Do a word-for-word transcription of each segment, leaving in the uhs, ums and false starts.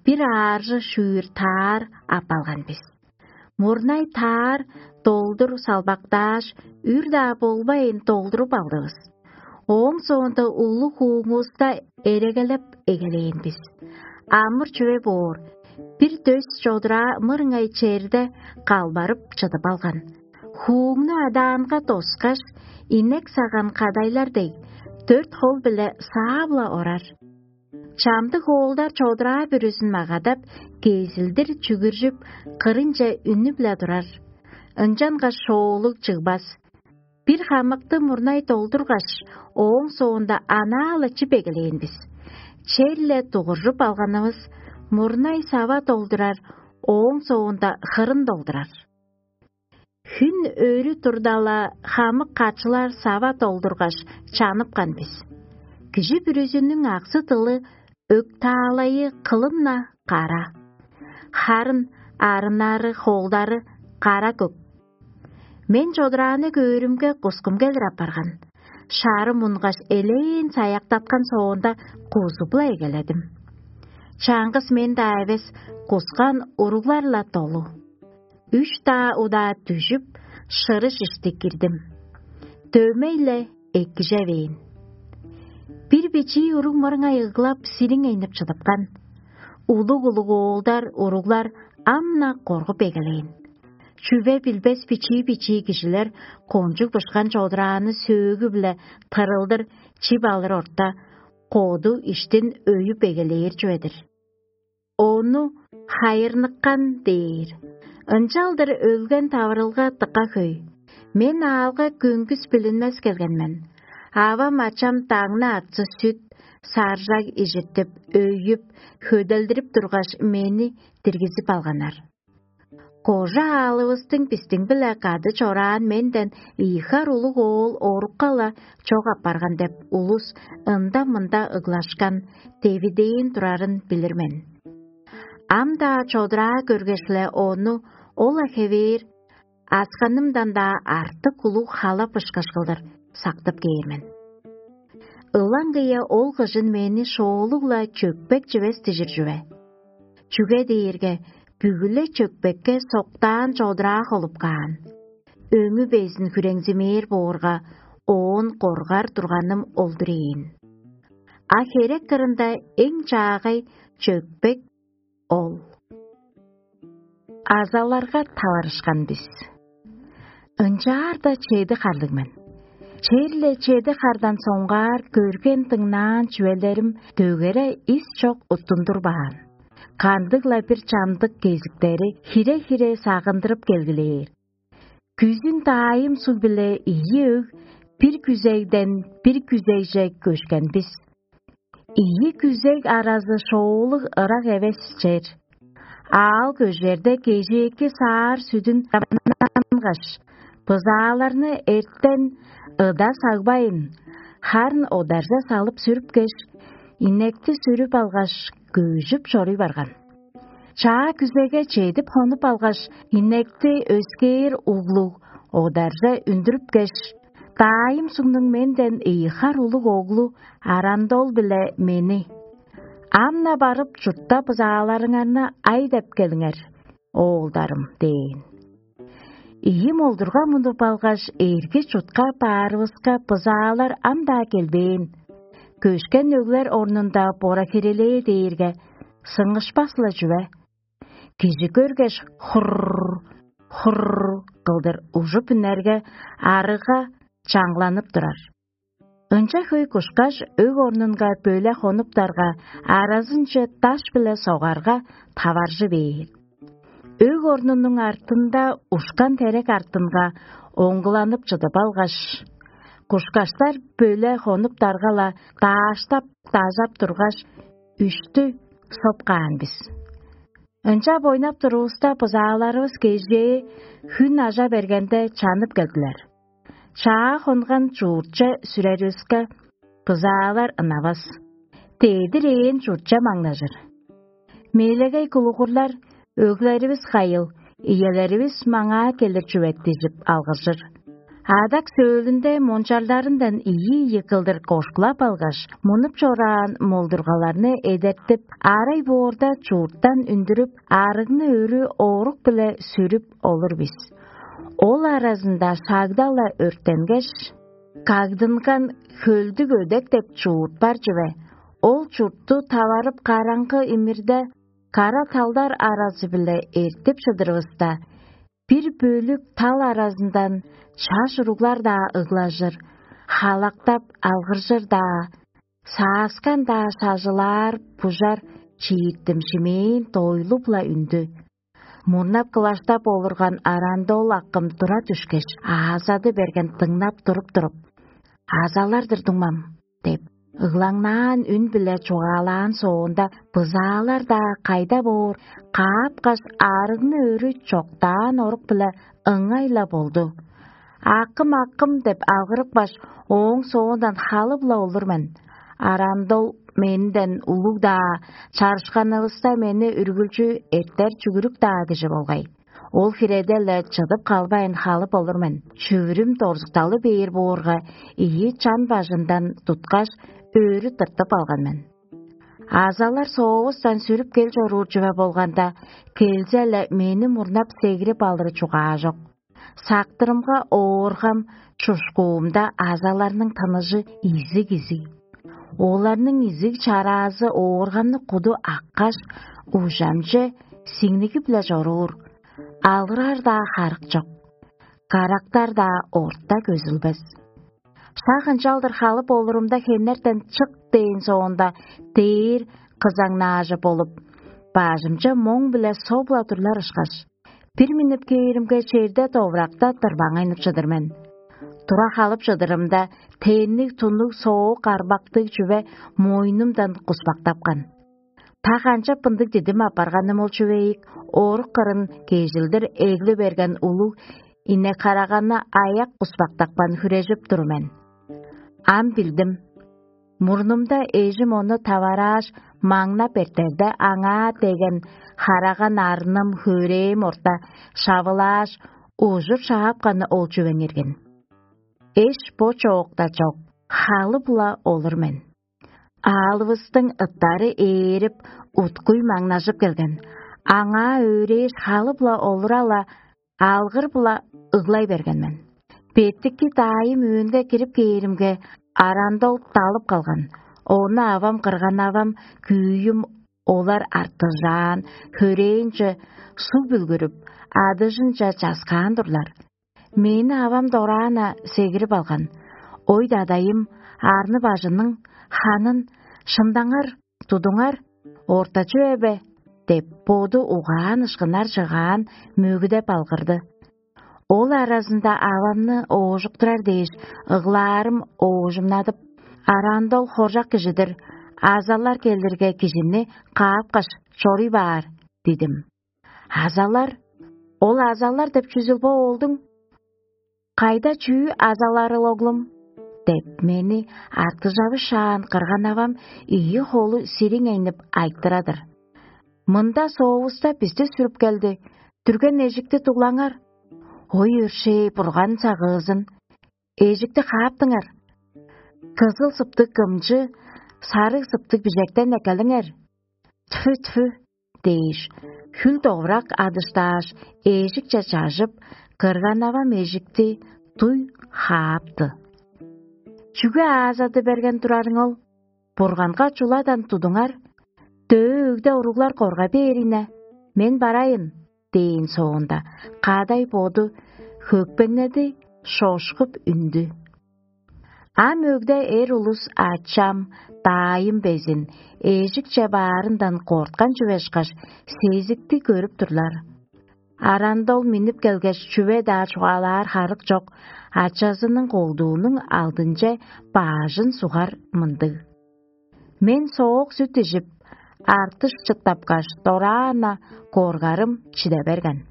бир ааржы шүүр таар аппалган бис. Мурнай таар долдур салбактааш, үр-даа болбайн долдуруп алдывыс. Ооң соонда улуг хууңувуста эрегелеп эгелээн бис. Амыр чүве боор, бир дөс чодураа мырыңай черде калбарып чыдып алган. Хууңну адаанга доскаш, инек саган кадайлар дег, дөрт хол-биле саап-ла орар. Чамдык оолдар чодураа бүрүзүн магадап, кезилдир чүгүржүп, кырынче үнүп-ла турар. Ынчангаш шоолуг чыгбас. Бир хамыкты мурнай долдургаш, ооң соонда анаа-ла чип эгелээн бис. Черле дугуржуп алганывыс, мурнай сава долдурар, ооң соонда хырын долдурар. Хүн өрү турда-ла, хамык качылар сава долдургаш, чаныпкан бис. Кижи бүрүзүнүң аксы-дылы, өктаалайы кылын-на кара. Харын арыннары, холдары кара көк. Мен чодурааны көөрүмге, кускум келир апарган. Шарым унгаш, элээн саяктаткан соонда, кузуп-ла эгеледим. Чаңгыс мен-даа эвес, кускан уруглар-ла долу. Үш-даа удаа дүжүп, шырыш ишти кирдим. Дөмей-ле эккижевээн. Бир бичии уруг мырыңай ыглап, сириңейнип чыдыпкан. Улуг-улуг оолдар, уруглар ам-на коргуп эгелээн. Чүве билбес бичии-бичии кижилер кончуг бышкан чодурааны сөөгү-биле тырылдыр чип алыр орта, коду иштин өйүп эгелээр чүве-дир. Ону хайырныккан дээр. Ынчалдыр өлген таварылга дыка хөй. Мен аалга көңгүс билинмес келген мен. Авам-ачам даңны атсы сүт, саржаг ижиртип, өйүп, хөделдирип тургаш, мени диргизип алганнар. Кожа аалывыстың бистиң-биле кады чораан менден ийи хар улуг оол орукка-ла чок апарган деп, улус ында-мында ыглашкан, девидээн турарын билир мен. Ам-даа чодураа көргеш-ле, ону ол-ла хевээр асканымдан-даа артык улуг халап ышкаш кылдыр сактып кээр мен. Ылаңгыя ол кыжын мени шоолуг-ла чөкпек чивес дижир чүве. Чүге дээрге бүгү-ле чөкпекке соктаан чодураа холуп каан. Өңү безин хүреңзимээр боорга, оон коргар турганым ол-дур ийин. А херек кырында эң чаагай чөкпек ол. Азаларга таварышкан бис. Ынчаарда чеди харлыг мен. Черле чеди хардан соңгаар көрген-дыңнаан чүвелерим дөгере ис чок уттундурбаан. Кандыг-ла бир чамдык кезиктери хире-хире сагындырып келгилээр. Күзүн даайым суг-биле ийи өг бир күзегден бир күзегже көшкен бис. Ийи күзег аразы шоолуг ырак эвес чер. Аал көжерде кежээки саар сүдүн дамнангаш, бызааларны эртен ыда сагбайн, харын одаржа салып сүрүпкеш, инекти сүрүп алгаш, көжүп чоруй барган. Чаа күзеге чедип хонуп алгаш, инекти өскээр углуг одарже үндүрүпкеш, даайым сугнуң менден ийи хар улуг оглу Арандол-биле мени: «Ам-на барып, чуртта бызааларыңарны ай деп келиңер, оолдарым» – дээн. Ийи молдурга мунуп алгаш, эрги чутка баарывыска, бызаалар ам-даа келбээн. Көшкен өглер орнунда бора хирелээ дээрге, сыңышпас-ла чүве. Кижи көргеш, хурр, хурр кылдыр ужуп үнерге, арыга чаңгыланып турар. Ынча хөй кушкаш, өг орнунга бөле хонуптарга, аразынче даш-биле согарга, таваржы бээр. Өг орнунуң артында ушкан терек артынга оңгуланып чыдып алгаш, кушкаштар бөле хонуптарга-ла дааштап, дажап тургаш, үштү соп каан бис. Ынчап ойнап турувуста, бызааларывыс кежээ хүн ажа бергенде чанып келдилер. Чаа хонган чууртче сүреривиске, бызаалар ынавас. Дедир ээн чуртче маңнажыр. Мелегей кулугурлар: «Өглеривис кайыл, иелеривис маңаа келир чүве» – дижип алгыржыр. Адак сөөлүнде мончарларындан ийи-ийи кылдыр кошкулап алгаш, мунуп чораан молдургаларны эдертип, арай боорда чуурттан үндүрүп, арыгны өрү оорук-биле сүрүп олур бис. Ол аразында шагда-ла өрттенгеш, кагдынган хөлдүг өдек деп чуут бар чүве. Ол чуртту таварып караңгы имирде, кара талдар аразы-биле эртип чыдырывыста, бир бөлүк тал аразындан чаш уруглар-даа ыглажыр, халактап алгыржыр-даа, сааскан-даа шажылаар бужар чииттим шимээн дойлуп-ла үндү. Мурнап кылаштап олурган Арандол акым тура дүшкеш, аазады берген дыңнап туруп-туруп: «Азалар-дыр дуңмам» – деп, ыглаңнаан үн-биле чугаалаан соонда, бызаалар-даа кайда боор, каапкаш, арыгны өрү чоктаан орук-биле ыңай-ла болду. «Акым, акым» – деп алгырыпкаш, ооң соондан халып-ла олур мен. Арандол менден улуг-даа, чарышканывыста мени үргүлчү эртер чүгүрүк-даа кижи болгай. Ол хиреде-ле чыдып калбайн халып олур мен. Чүвүрүм дорзукталы бээр боорга, ийи чан бажындан туткаш, өрү тыртып алган мен. Азалар соовустан сүрүп кел чоруур чүве болганда, келзе-ле мени мурнап сегирип алыры чугаажок. Сактырымга ооргам, чушкуумда азаларның тыныжы изиг-изиг. Оларның изиг чараазы ооргамны куду аккаш, ужамче сиңнигип-ле чоруур, алырар-даа харык чок, карактар-даа орта көзүлбес. Шак ынчалдыр халып олурумда хенертен чык дээн соонда, дээр кызаңнаажы болуп, бажымча моң-биле соп-ла турлар ышкаш, бир миннип кээримге, черде довуракта дырбаңайнып чыдыр мен. Тура халып чыдырымда, тенниг туннуг соок арбактыг чүве мойнумдан куспактапкан. Та канчап мындыг дидим апарганым ол чүве ийик, орук кырын кежилдир эгли берген улуг инек-хараганны аяк куспактапкан хүрежип тур мен. Ам билдим. Мурнумда эжим ону таварааш, маңнап эртерде, аңаа деген хараган арным, хөрээн орта шавылааш, ужур шаапканы ол чүвең иргин. Эш бо чоокта чок, халып-ла олур мен. Аалывыстың ыттары ээрип, уткуй маңнажып келген. Аңаа өөрээш, халып-ла олура-ла, алгыр-ла ыглай берген мен. Беттикки даайым өөнге кирип кээримге, Арандол далып калган. Ону авам, кырган-авам, күүйүм олар артыжаан, хөрээнче суг бүлгүрүп, адыжынче часкаан турлар. Мени авам дораан-на сегирип алган. Ой, дадайым, арны-бажының ханын шымдаңар, тудуңар, орта чүве бе? – деп, боду угаан ышкынар чыгаан мөгүдеп алгырды. Ол аразында авамны оожуктурар дээш, ыглаарым оожумнадып: «Арандол хоржак кижи-дир, азалар келирге кижини каапкаш, чоруй баар» – дидим. «Азалар? Ол азалар деп чүзүл бо, оолдуң? Кайда чүү азаларыл, оглум?» – деп, мени артыжавышаан кырган-авам ийи холу сириңейнип айтырар-дыр. «Мында соовуста бисти сүрүп келди. Дүрген эжикти дуглаңар. Ой, өршээ, Бурган сагыызын! Эжикти кааптыңар. Кызыл сыптыг кымчы, сарыг сыптыг бижектен эккелиңер. Тьфу, тьфу!» – дээш, хүл довурак адыштааш, эжикче чажып, кырган-авам эжикти дуй хаапты. «Чүге аазады берген турарың ол? Бурганга чуладан тудуңар. Дөө өгде уруглар корга бээр ийне. Мен барайын» – дээн соонда, кадай боду хөкпеңнеди, шошкуп үндү. Ам өгде эр улус ачам, даайым безин эжикче баарындан корткан чүве ышкаш, сезикти көрүп турлар. Арандол миннип келгеш, чүве-даа чугаалаар харык чок, ачазының колдуунуң алдынче баажын сугар мындыг. Мен соок сүт ижип, артыш чыттапкаш, дораан-на коргарым чиде берген.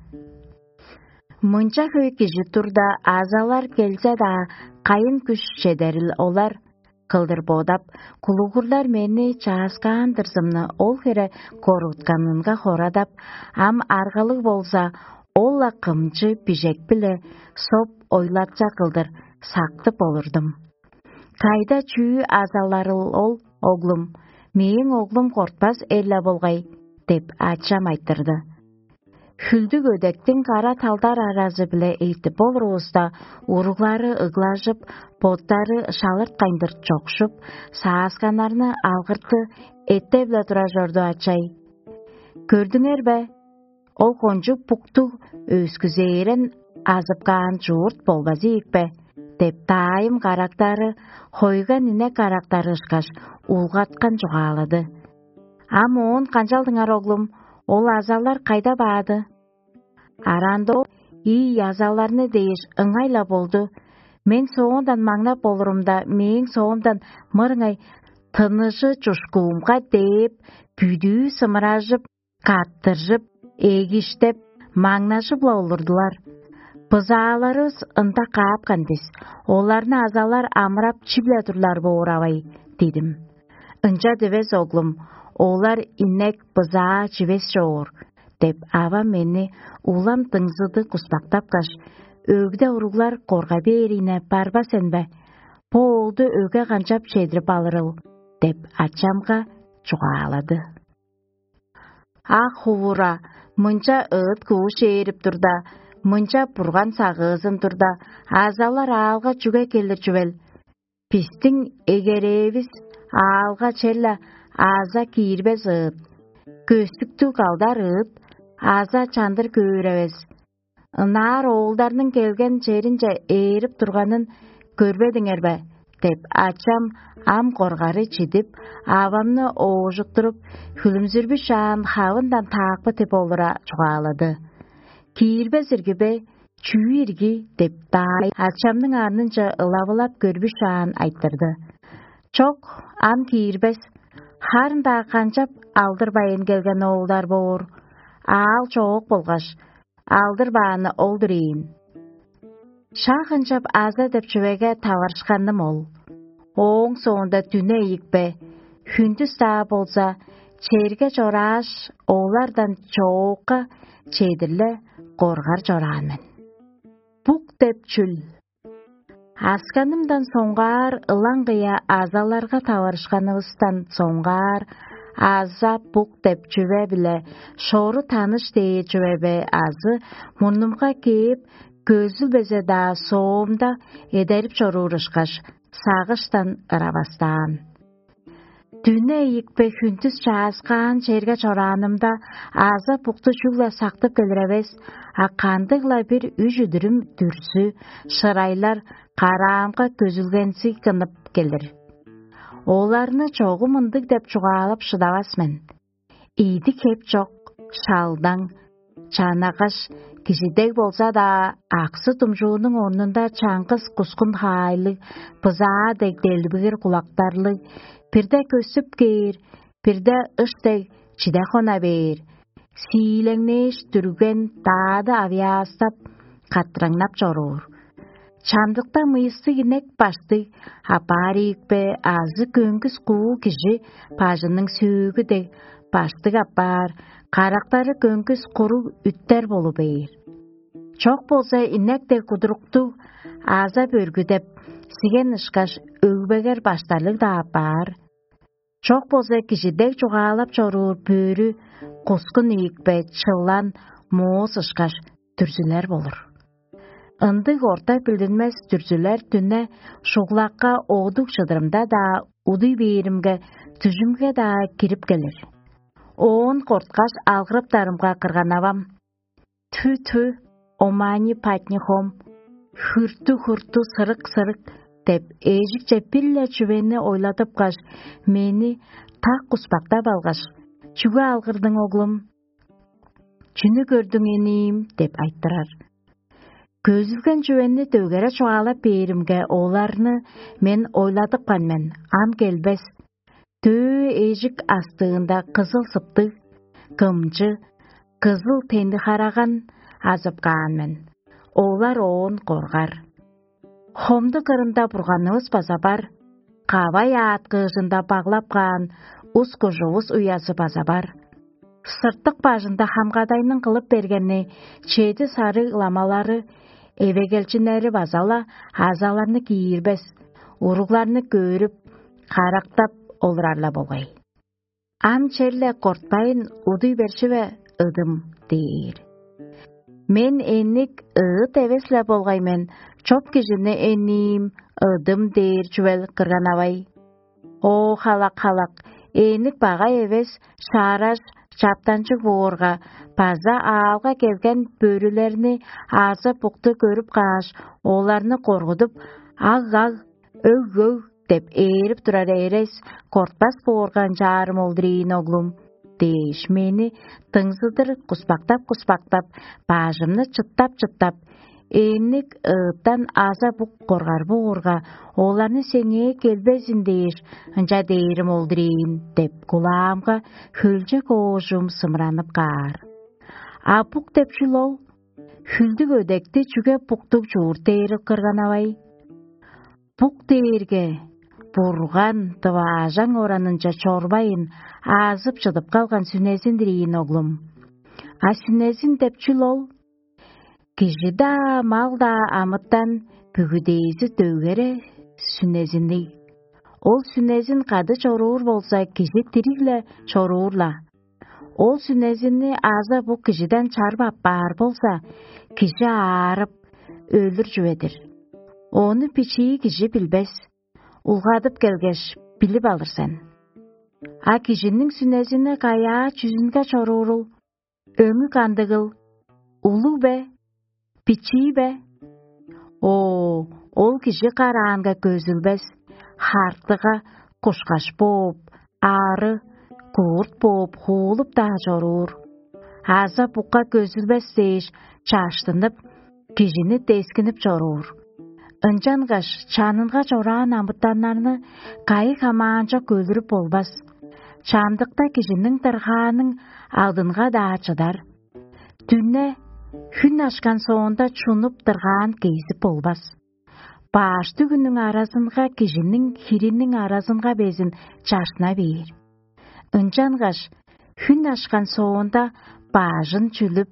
Мынча хөй кижи турда, азалар келзе-даа, кайын күш чедерил олар? Кылдыр бодап, кулугурлар мени чааскаан-дырзымны ол хире корутканынга хорадап, ам аргалыг болза, Ол-ла кымчы бижек-биле соп ойлатча кылдыр сактып олурдум. «Кайда чүү азаларыл ол, оглум? Мээң оглум кортпас эрле болгай» — деп, ачам айтырды. Хүлдүг өдектиң кара талдар аразы-биле эртип болуруувуста, уруглары ыглажып, боттары шалырткайндыр чокшуп, саасканнарны алгырты эттеп-ле тура чорду ачай. «Көрдүңер бе? Ол кончуг буктуг, өскүзээрен азып каан чуурт болбазы ийикпе?» — деп, даайым карактары хойган инек карактары ышкаш, улгаткан чугаалады. «Ам оон канчалдыңар, оглум? Ол азалар кайда баады?» Араанда ол: «Ийи азаларны дээш ыңай-ла болду. Мен соондан маңнап болурумда, мээң соомдан мырыңай тыныжы чушкуумга дээп, бүдүү сымыражып, каттыржып, эгиштеп, маңнажып-ла олурдулар. Бызааларывыс ында каапкан бис, оларны азалар амырап чип-ле турлар боор авай» — дидим. «Ынча дивес, оглум, олар инек, бызаа чивес чоор» — деп, авам мени улам дыңзыдыг куспактапкаш: «Өгде уруглар корга бээрине барба сен бе? Бо оолду өгге канчап чедирип алырыл?» — деп, ачамга чугаалады. Ак хувура, мынча ыыт кууш ээрип турда, мынча бурган сагыызын турда, азалар аалга чүге келир чүвел? Бистиң эгерээвис аалга черле аза киирбес ыыт, көстүктүг калдар ыыт, аза чандыр көөр эвес. Ынаар оолдарның келген черинче ээрип турганын көрбедиңер бе?» — деп, ачам ам коргары чидип, авамны оожуктуруп, хүлүмзүрбүшаан хавындан таакпы тип олура чугаалады. «Киирбес ирги бе, чүү ирги?» — деп, даай ачамның арнынче ылавылап көрбүшаан айтырды. «Чок, ам киирбес. Харын-даа канчап алдырбайн келген оолдар боор? Аал чоок болгаш, алдырбааны ол-дур ийин». Шак ынчап аза деп чүвеге таварышканым ол. Ооң соонда дүне ийикпе, хүндүс-даа болза, черге чорааш, олардан чоокка чедирле коргар чораан мен. Бук деп чүл? Асканымдан соңгаар, ылаңгыя азаларга таварышканывыстан соңгаар, аза бук деп чүве-биле шору таныш дээр чүве бе азы мурнумга кээп, көзүлбезе-даа соомда эдерип чоруур ышкаш, сагыштан ыравастаан. Дүне ийикпе хүндүс чааскаан черге чораанымда, аза букту чүгле сактып келир эвес, а кандыг-ла бир үш үдүрүм дүрзү, шырайлар караамга көзүлгензиг кынып келир. Оларны чогум ындыг деп чугаалап шыдавас мен. Ийдик хеп чок, шалдаң, чанагаш, кижи дег болза-даа, аксы-думчуунуң орнунда чаңгыс кускун хаайлыг, бызаа дег делбигир кулактарлыг, бирде көстүп кээр, бирде ыш дег чиде хона бээр, сиилеңнээш дүрген, даады авыяастап, каттыраңнап чоруур. Чамдыкта мыйыстыг инек баштыг апаар ийикпе азы көңгүс куу кижи бажының сөөгү дег баштыг апаар, карактары көңгүс куруг үттер болу бээр. Чок болза, инек дег кудуруктуг аза бөргүдеп, сиген ышкаш, өгбегер баштарлыг-даа апаар. Чок болза, кижи дег чугаалап чоруур бөрү, кускун ийикпе, чылан, моос ышкаш дүрзүлер болур. Ындыг орта билдинмес дүрзүлер дүне шуглакка оодуг чыдырымда-даа, удуй бээримге, дүжүмге-даа кирип келир. Оон корткаш, алгырыптарымга кырган авам: «Тү-тү, омани патни хом, хүртү-хүртү, сырык-сырык» — деп, эжикче бир-ле чүвени ойладыпкаш, мени так куспактап алгаш: «Чүге алгырдың, оглум? Чүнү көрдүң, эниим?» — деп айтырар. Көзүлген чүвени дөгере чугаалап бээримге, оларны мен ойладыпкан мен, ам келбес. Дөө эжик астыында кызыл сыптыг, кымчы, кызыл тенди-хараган азып каан мен. Олар оон коргар. Хомду кырында бурганывыс база бар, кавай аът кыыжында баглап каан ус-кужувус уязы база бар. Сыртык бажында хамгадайның кылып бергени чеди сарыг ламалары, эвегелчиннери база-ла азаларны киирбес, уругларны көөрүп, карактап олурар-ла болгай. Ам черле кортпайн удуй бершиве, ыдым, дээр. Мен эник ыыт эвес-ле болгай мен, чоп кижини эниим ыдым дээр чүвел кырганавай. О, халак-халак, эник багай эвес, шаараш, чаптанчыг боорга, база аалга келген бөрүлерни азы букту көрүп кааш, оларны коргудуп, аг-аг, өг-өг деп ээрип турар эрес, кортпас боорга ынчаарым олдур ийин, оглум, дээш, мени дыңзыдыр куспактап-куспактап, бажымны чыттап-чыттап, ээнник ыыттан аза бук коргар боорга, оларны сеңээ келбезин дээш, ынча дээрим олдур ийин деп, кулаамга хөлчек оожум сымыранып каар. А бук деп чүл ол? Хүлдүг өдекти чүге буктуг чуурт дээрил кырганавай? Бук дээрге Бурган дываажаң оранынче чорбайын, аазып чыдып калган сүнезин-дир ийин, оглум. А сүнезин деп чүл ол? Кижи-даа, мал-даа амытан бүгүдээзи дөгере сүнезинниг. Ол сүнезин кады чоруур болза, кижи дириг-ле чоруур-ла. Ол сүнезинни аза бу кижиден чарып аппаар болза, кижи аарып, өлүр чүве-дир. Ону бичии кижи билбес, улгадып келгеш, билип алыр сен. А кижиниң сүнезини каяа чүзүнге чоруурул? Өңү кандыгыл? Улуг бе? Бичии бе? О, ол кижи караанга көзүлбес, хартыга кушкаш бооп, ары, куурт бооп хуулуп-даа чоруур. Аза букка көзүлбес дээш, чаштынып, кижини дескинип чоруур. Ынчангаш чанынга чораан амытаннарны кайы хамаанчок өлүрүп болбас. Чамдыкта кижиниң дыргааның алдынга-даа чыдар. Дүне хүн ашкан соонда чунуп дыргаан кезип болбас. Бааш дүгүнүң аразынга кижиниң хириниң аразынга безин чаршына бээр. Ынчангаш хүн ашкан соонда баажын чүлүп,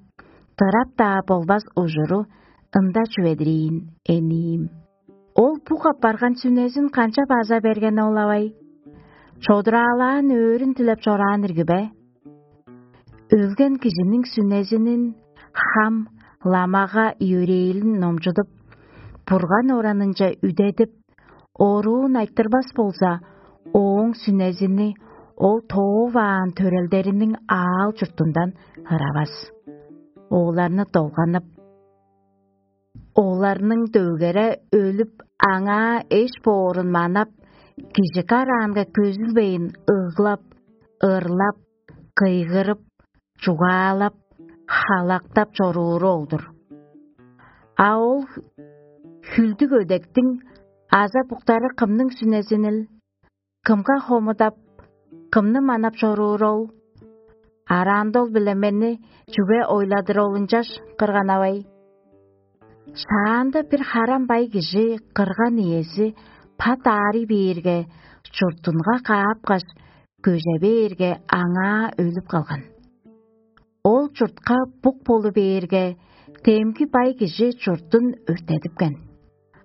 дырап-даа болбас ужуру ында чүведириин, эниим. Ол бук апарган сүнезин канча база берген ол авай? Чодураалаан өөрүн дилеп чораан ирги бе? Өлген кижиниң сүнезинин хам ламага йөрээлин номчудуп, Бурган оранынче үдедип, оруун айтырбас болза, ооң сүнезини ол тооваан төрелдериниң аал-чуртундан ыравас. Оларны долганып, оларның дөгере өлүп, аңаа эш боорун манап, кижи караанга көзүлбейн ыглап, ырлап, кыйгырып, чугаалап, халактап чорууру ол-дур. А ол хүлдүг өдектиң аза буктары кымның сүнезинил? Кымга хомудап, кымны манап чоруур ол? Араанда ол-биле мени чүге ойладыр ол ынчаш кырганавай? Шаанда бир харам бай кижи кырган иези пат аарый бээрге, чуртунга каапкаш, көже бээрге, аңаа өлүп калган. Ол чуртка бук болу бээрге, демги бай кижи чуртун өрттедипкен.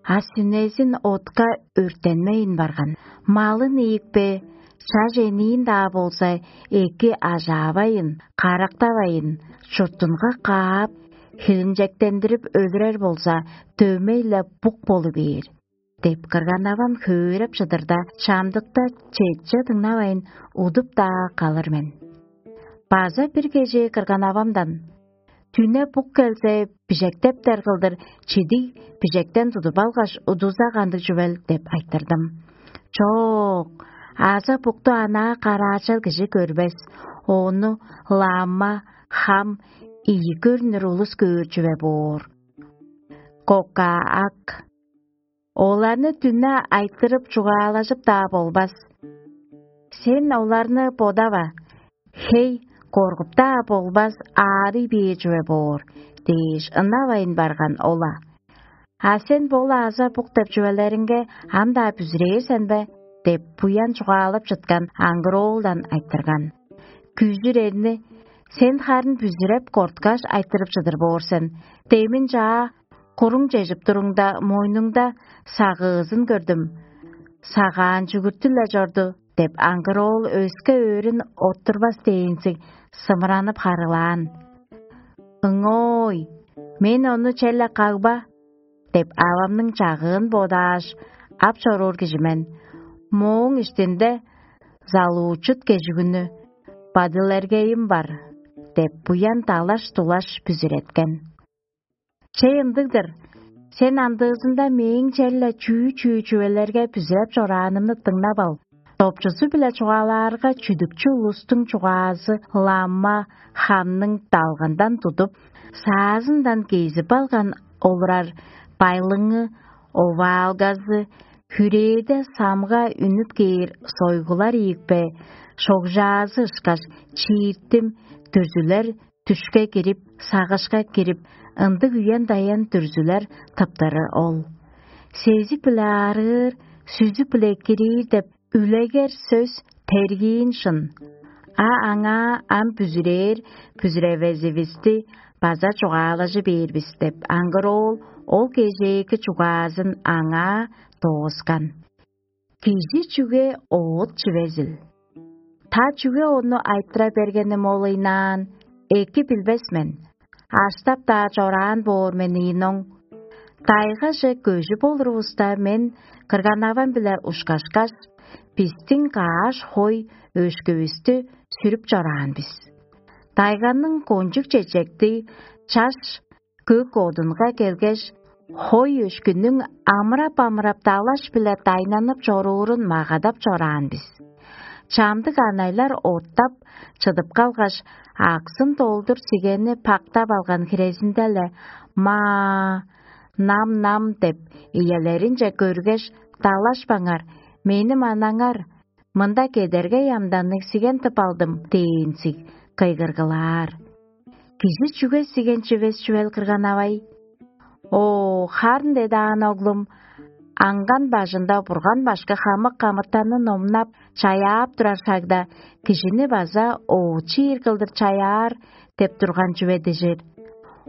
А сүнезин отка өрттенмейн барган. Малын ийикпе, чаш эниин-даа болза, эки ажаавайын, карактавайын, чуртунга каап, хилинчектендирип өлүрер болза, дөмей-ле бук болу бээр деп, кырган-авам хөөреп чыдырда, чамдыкта четче дыңнавайн, удуп-даа калыр мен. База бир кежээ кырган-авамдан: «Дүне бук келзе, бижектептер кылдыр чидиг бижектен тудуп алгаш, удуза кандыг чүвел?» — деп айтырдым. «Чок, аза букту анаа караачал кижи көрбес, ону лама, хам, ийи көрнүр улус көөр чүве боор. Кокаак. Оларны дүне айтырып чугаалажып-даа болбас. Сен оларны бодава, хей, коргуп-даа болбас, аарый бээр чүве боор» — дээш, ынавайн барган ол-ла. «А сен бо-ла аза бук деп чүвелериңге ам-даа бүзүрээр сен бе?» — деп, буян чугаалап чыткан аңгыроолдан айтырган. Күжүр эрни Сен харын бүзүреп корткаш айтырып чыдыр боор сен: «Демин чаа, куруң чежип туруңда, мойнуңда сагыызын көрдүм. Сагаан чүгүртү-ле чорду», — деп, аңгыр оол өске өөрүн оттурбас дээнзиг сымыранып харыылаан. «Ыңой, мен ону черле кагба» — деп, авамның чагыын бодааш, ап чоруур кижи мен. Мооң иштинде залуучут кежигүнү: «Бадылергейим бар» — деп, буян далаш-дулаш бүзүреткен. Че, ындыг-дыр, сен андыызында мээң черле чүү-чүү чүвелерге бүзүреп чораанымны дыңнап ал. Допчузу-биле чугаалаарга, чүдүкчү улустуң чугаазы лама хамның далгандан тудуп, саазындан кезип алган олурар байлыңы, оваалгазы, хүрээде самга үнүп кээр сойгулар ийикпе, шогжаазы ышкаш чииртим дүрзүлер дүшке кирип, сагышка кирип, ындыг үен-даян дүрзүлер тыптыры ол. Сезик-биле аарыыр, сүзүк-биле кирир деп үлегер сөс тергиин шын. А аңаа ам бүзүрээр, бүзүревезивисти база чугаалажы бээр бис деп, аңгыр оол ол кежээки чугаазын аңаа дооскан. Кижи чүге оът чивезил? Та чүге ону айтыра бергеним ол ыйнаан, эки билбес мен. Аштап-даа чораан боор мен ийин оң. Дайгаже көжүп олурувуста, мен кырган-авам-биле ушкашкаш, бистиң кааш хой өшкүвүстү сүрүп чораан бис. Дайганның кончуг чечектиг чаш көк одунга келгеш, хой өшкүнүң амырап-амырап далаш-биле дайнанып чоруурун магадап чораан бис. Чамдык анайлар оттап чыдып калгаш, аксын долдур сигенни пактап алган хирезинде-ле: «Маа, нам-нам» — деп, иелеринче көргеш: «Далашпаңар, мени манаңар, мында кедергей амданныг сиген тып алдым» — дээнзиг кыйгыргылаар. Кижи чүге сиген чивес чүвел, кырган-авай? О, харын дедаан, оглум, аңган бажында Бурган башкы хамык амытанны номнап, чаяап турар шагда, кижини база оочу ийир кылдыр чаяар деп турган чүве дижир.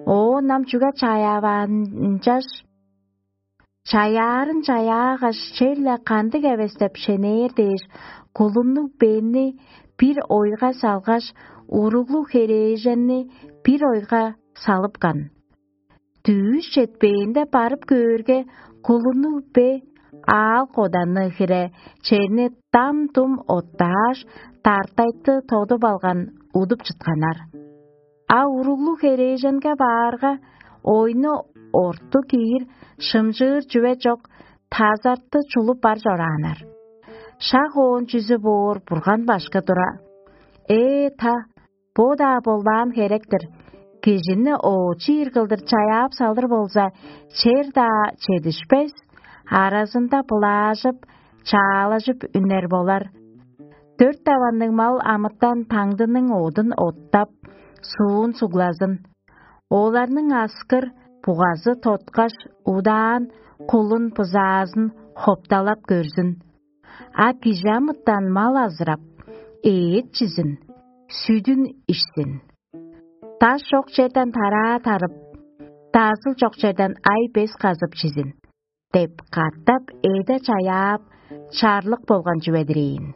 Оон ам чүге чаяаваан ынчаш? Чаяарын чаяагаш, черле кандыг эвес деп шенээр дээш, кулуннуг бени бир ойга салгаш, уруглуг херээженни бир ойга салыпкан. Дүъш четпээнде барып көөрге, кулуннуг бе аал-коданны хире черни дам-дум оттааш, дартайты тодуп алган, удуп чытканнар. А уруглуг херээженге баарга, ойну орту киир, шымчыыр чүве чок, тазартты чулуп бар чорааннар. Шак оон чүзү боор Бурган башкы тура: «Ээ, та, бо-даа болбаан херек-тир. Кижини оочу ийир кылдыр чаяап салыр болза, чер-даа чедишпес, аразында былаажып, чаалажып үнер болар. Дөрт даванныг мал амытан таңдының одун оттап, суун суглазын. Оларның аскыр бугазы тоткаш, удаан кулун-бызаазын хопталап көрзүн. А кижи амытан мал азырап, эът чизин, сүдүн ишсин. Даш чок черден тараа тарып, дазыл чок черден ай-бес казып чизин» — деп катап эде чаяап, чарлык болган чүве-дир ийин.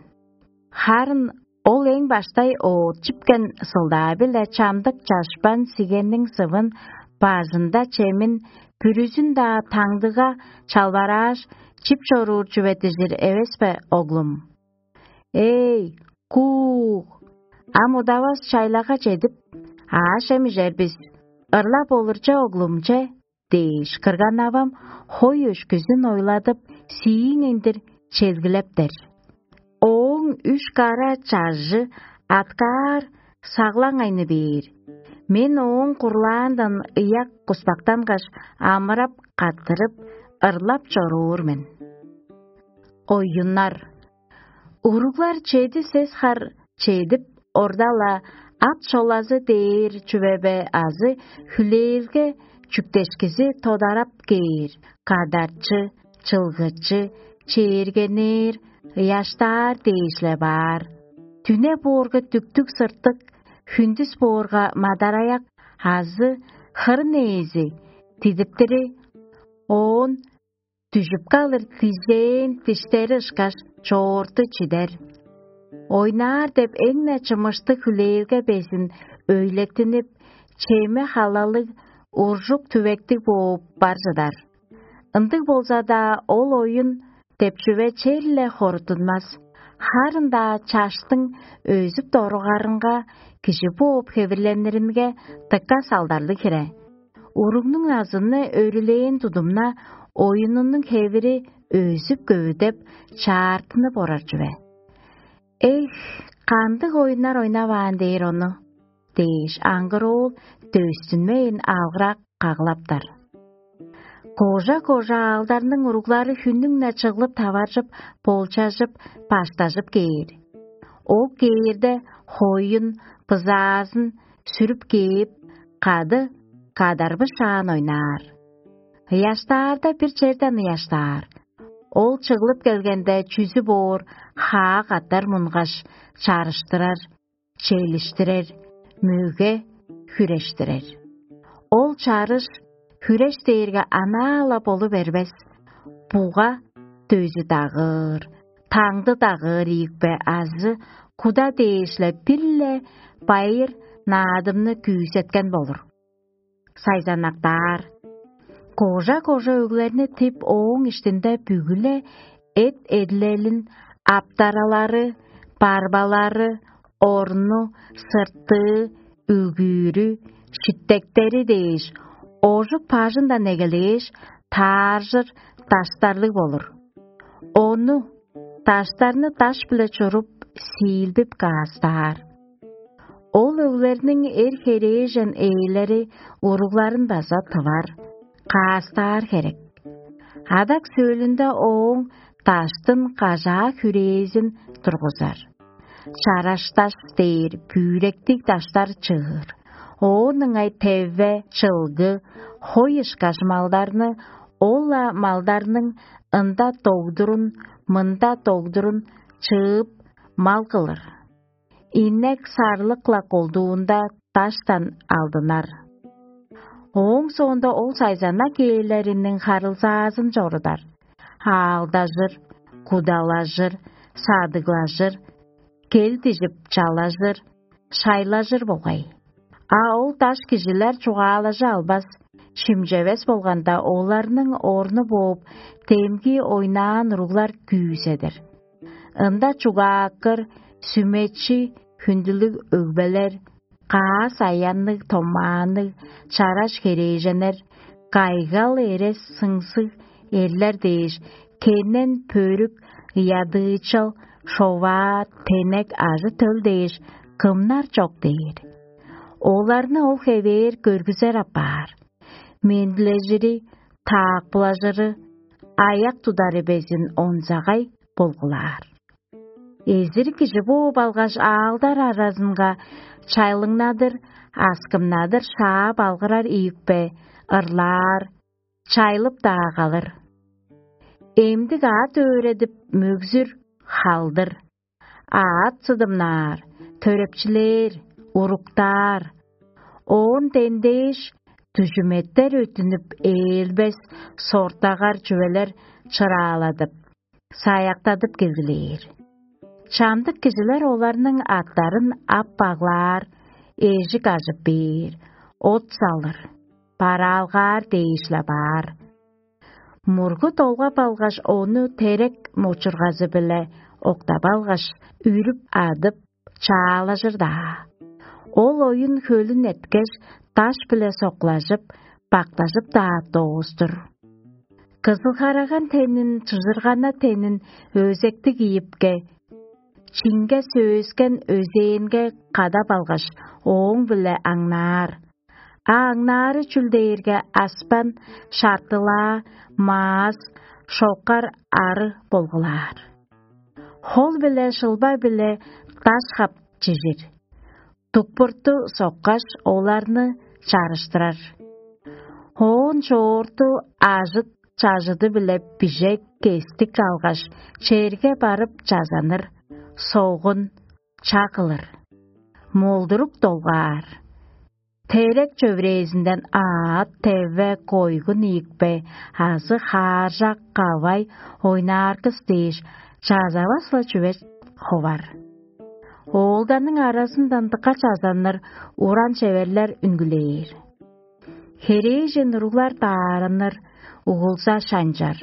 Харын ол эң баштай оът чипкен сылдаа-биле чамдык чашпан сигенниң сывын, бажында чемин, бүрүзүн-даа таңдыга чалбарааш, чип чоруур чүве дижир эвес бе, оглум? Эй, кууг! Ам удавас чайлага чедип, аъш-чем ижер бис. Ырлап олур че, оглум, че! — дээш, кырган-авам хой өшкүзүн ойладып, сииң эндир челгилептер. Ооң үш кара чажы аткаар саглаң айны бээр. Мен ооң курлаандан ыяк куспактангаш, амырап, каттырып, ырлап чоруур мен. Оюннар. Уруглар чеди сес хар чедип, орда-ла ат шолазы дээр чүве бе азы хүлээлге чүктешкизи тодарап кээр, кадарчы, чылгычы, чээргенээр, ыяштаар дээш-ле баар. Дүне боорга дүктүг сыртык, хүндүс боорга мадараяк азы хырын ээзи дидиптири оон дүжүп калыр дижээн диштери ышкаш чоорту чидер. Ойнаар деп эң-не чымыштыг хүлээлге безин өйлеттинип, чеме халалыг, уржук түвектиг бооп бар чыдар. Ындыг болза-даа ол оюн деп чүве черле хорутунмас. Харын-даа чаштың өзүп доругарынга кижи бооп хевирлениримге дыка салдарлыг хире. Уругнуң назыны өрүлээн тудумна, оюнунуң хевири өзүп-көвүдеп, чаартынып орар чүве. «Эх, кандыг оюннар ойнаваан дээр ону?» – дээш, аңгыр оол дөстүнмейн алгырак каглаптар. Кожа-кожа аалдарның уруглары хүннүң-не чыглып таваржып, болчажып, баштажып кээр. Ол кээрде хоюн, бызаазын сүрүп кээп, кады кадарбышаан ойнаар. Ыяштаарда бир черден ыяштаар. Ол чыглып келгенде чүзү боор хаа катар мунгаш, чарыштырар, челиштирер, мөге хүрештирер. Ол чарыш хүреш дээрге анаа-ла болу бербес. Буга дөзү дагыыр, таңды дагыыр ийикпе азы куда дээш-ле бир-ле байыр наадымны күүсеткен болур. Сайзанактаар. Кожа-кожа өглерни тип, ооң иштинде бүгү-ле эт-эдилелин, аптаралары, барбалары, орну, сыртыы, үгүүрү, шиттектери дээш, ожук бажындан эгелээш, тааржыр даштарлыг болур. Ону, даштарны даш-биле чуруп, сиилбип каастаар. Ол өглерниң эр-херээжен ээлери уругларын база тывар, каастаар херек. Адак сөөлүнде ооң даштын кажаа хүрээзин тургузар. Чарашташ дээр бүректиг даштар чыыр. Оон ыңай теве, чылгы, хой ышкаш малдарны, ол-ла малдарның ында догдурун, мында догдурун чыып, мал кылыр. Инек сарлык-ла колдуунда даштан алдынар. Ооң соонда ол сайзанак ээлериниң харылзаазын чорудар, аалдажыр, кудалажыр, садыглажыр, кел дижип чалажыр, шайлажыр болгай. А ол даш кижилер чугаалажы албас, шимчевес болганда, оларның орну бооп, демги ойнаан уруглар күүседир. Ында чугааккыр, сүмечи, хүндүлүг өгбелер, каас аянныг, томаанныг, чараш херээженнер, кайгал, эрес-сыңсыг эрлер дээш, кенен, пөрүк, ыядыычал, шоваа, тенек, ажы-төл дээш кымнар чок дээр. Оларны ол хевээр көргүзер апаар. Мендилежири, таакпылажыры, аяк тудары безин онзагай болгулаар. Эзир кижи бооп алгаш, аалдар аразынга чайлыңнадыр, аскымнадыр шаап алгырар ийикпе, ырлаар, чайлып-даа калыр. Эмдик аът өөредип, мөгзүр, халдыр. Аът сыдымнаар, төрепчилээр, уруктаар. Оон дендээш, дүжүметтер өттүнүп, ээлбес, сортагар чүвелер чырааладып, саяктадып келгилээр. Чамдык кижилер оларның аттарын ап баглаар, эжик ажып бээр, от салыр, бараалгаар дээш-ле баар. Мургу долгап алгаш, ону терек мочургазы-биле октап алгаш, үрүп-адып, чаалажыр-даа. Ол оюн хөлүн эрткеш, даш-биле соктажып, бактажып-даа доостур. Кызыл-хараган тенин, чыжыргана тенин өзектиг ийипке, чинге сөөскен өзээнге кадап алгаш, ооң-биле аңнаар. А аңнаары чүл дээрге аспан, шартылаа, маас, шокар ары болгулаар. Хол-биле шылба-биле даш хап чижир. Дукпурту соккаш, оларны чарыштырар. Оон чоорту ажыт-чажыды-биле бижек кестик алгаш, черге барып чазаныр, согун, ча кылыр. молдурук долгаар. Терек чөврээзинден аът, теве, койгун ийикпе азы хааржак, кавай, ойнааргыс дээш, чазавас-ла чүве ховар. Оолдарның аразындан дыка чазанныр уран чеверлер үнгүлээр. Херээжен уруглар даарынныр, угулза шанчар,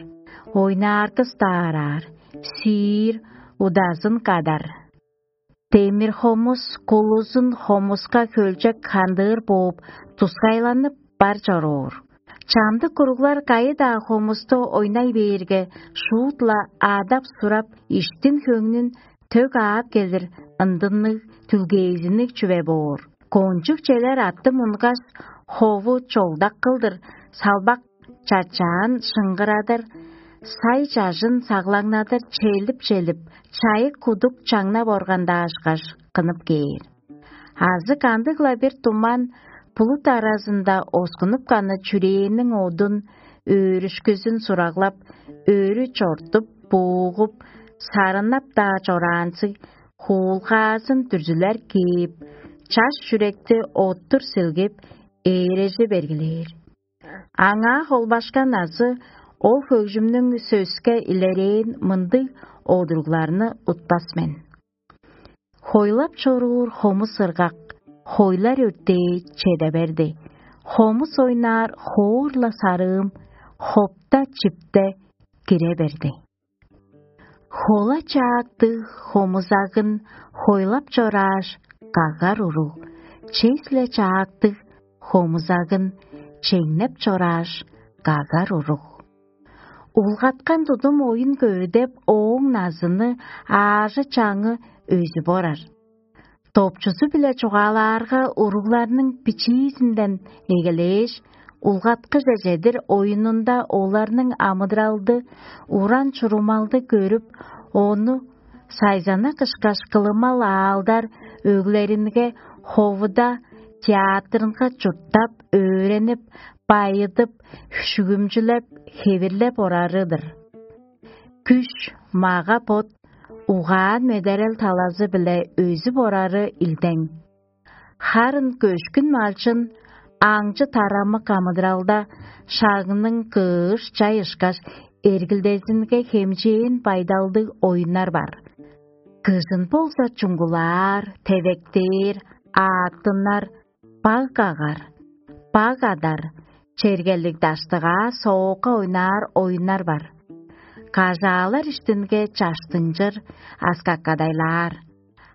ойнааргыс даараар, сиир, удазын кадар. Демир хомус кулузун хомуска хөлчек хандыыр бооп, тускайланып бар чоруур. Чамдык уруглар кайы-даа хомусту ойнай бээрге, шуут-ла адап-сурап, иштин-хөңнүн төг аап келир ындынныг, түлгээзинниг чүве боор. Кончуг челер атты мунгаш, хову чолдак кылдыр, салбак чачаан шыңгырадыр, сай чажын саглаңнадыр челип-челип, чайык кудук чаңнап органдаашкаш, кынып кээр. Азы кандыг-ла бир туман булут аразында оскунуп каны чүрээнниң одун, өөрүшкүзүн сураглап, өрү чортуп, буугуп, сарыннап-даа чораанзыг, хуулгаазын дүрзүлер кээп, чаш чүректи оттур силгеп, ээрежи бергилээр. Аңаа холбашкан азы ол хөгжүмнүң сөске илерээн мындыг одуругларны утпас мен. Хойлап чоруур хомус ыргак, хойлар өртээ чеде берди. Хомус ойнаар хоор-ла сарыым, хопта чипте кире берди. Хола чаактыг хомузагын хойлап чорааш, кагар уруг, чес-ле чаактыг хомузагын чеңнеп чорааш, кагар уруг. Улгаткан тудум оюн көвүдеп, ооң назыны, аажы-чаңы өзүп орар. Допчузу-биле чугаалаарга, уругларның бичиизинден эгелээш, улгаткыже чедир оюнунда оларның амыдыралды, уран-чурумалды көрүп, ону сайзанак ышкаш кылымал аалдар өглеринге, ховуда, театрынга чурттап, өөренип, байыдып, шүгүмчүлеп, хевирлеп орары-дыр. Күш, мага-бот, угаан-медерел талазы-биле өзүп орары илдең. Харын көшкүн малчын аңчы-тарамык амыдыралда шагның кыыш-чай ышкаш эргилдезинге хемчээн байдалдыг оюннар бар. Кыжын болза чуңгулаар, тевектээр, ааттынар, баг кагар, баг адар, чергелиг даштыгаа соокка ойнаар оюннар бар. Кажаалар иштинге чаштынчыр, аскаккадайлаар.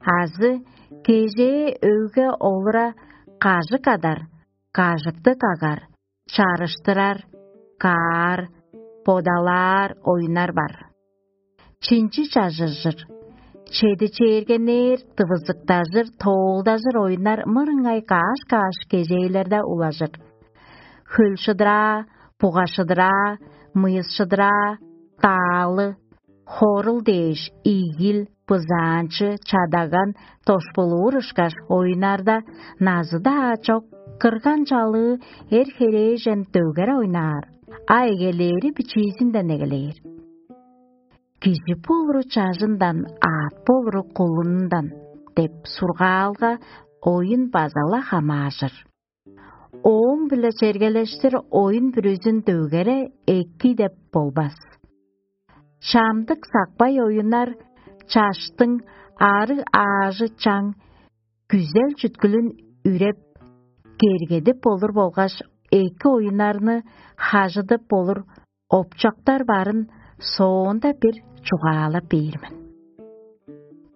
Азы кежээ өге олура кажык адар, кажыкты кагар, чарыштырар, каар, бодалаар оюннар бар. Чинчи чажыржыр, чеди чээргенээр, дывызыктажыр, тоолдажыр оюннар мырыңай каш-каш кежээлерде улажыр. Хөл шыдыраа, буга шыдыраа, мыйыс шыдыраа, даалы, хорул дээш, ийгил, бызаанчы, чадаган, дошпулуур ышкаш оюннарда назы-даа чок, кырган-чалыы, эр-херээжен дөгере ойнаар, а эгелээри бичиизинден эгелээр. «Кижи болуру чажындан, аът болуру кулунундан» деп сургаалга оюн база-ла хамааржыр. Ооң-биле чергелештир оюн бүрүзүн дөгере эки деп болбас. Чамдык сакпай оюннар чаштың ары аажы чаң, күзел-чүткүлүн үреп, кергедип болур болгаш, эки оюннарны хажыдып болур опчактар барын соонда бир чугаалап бээр мен.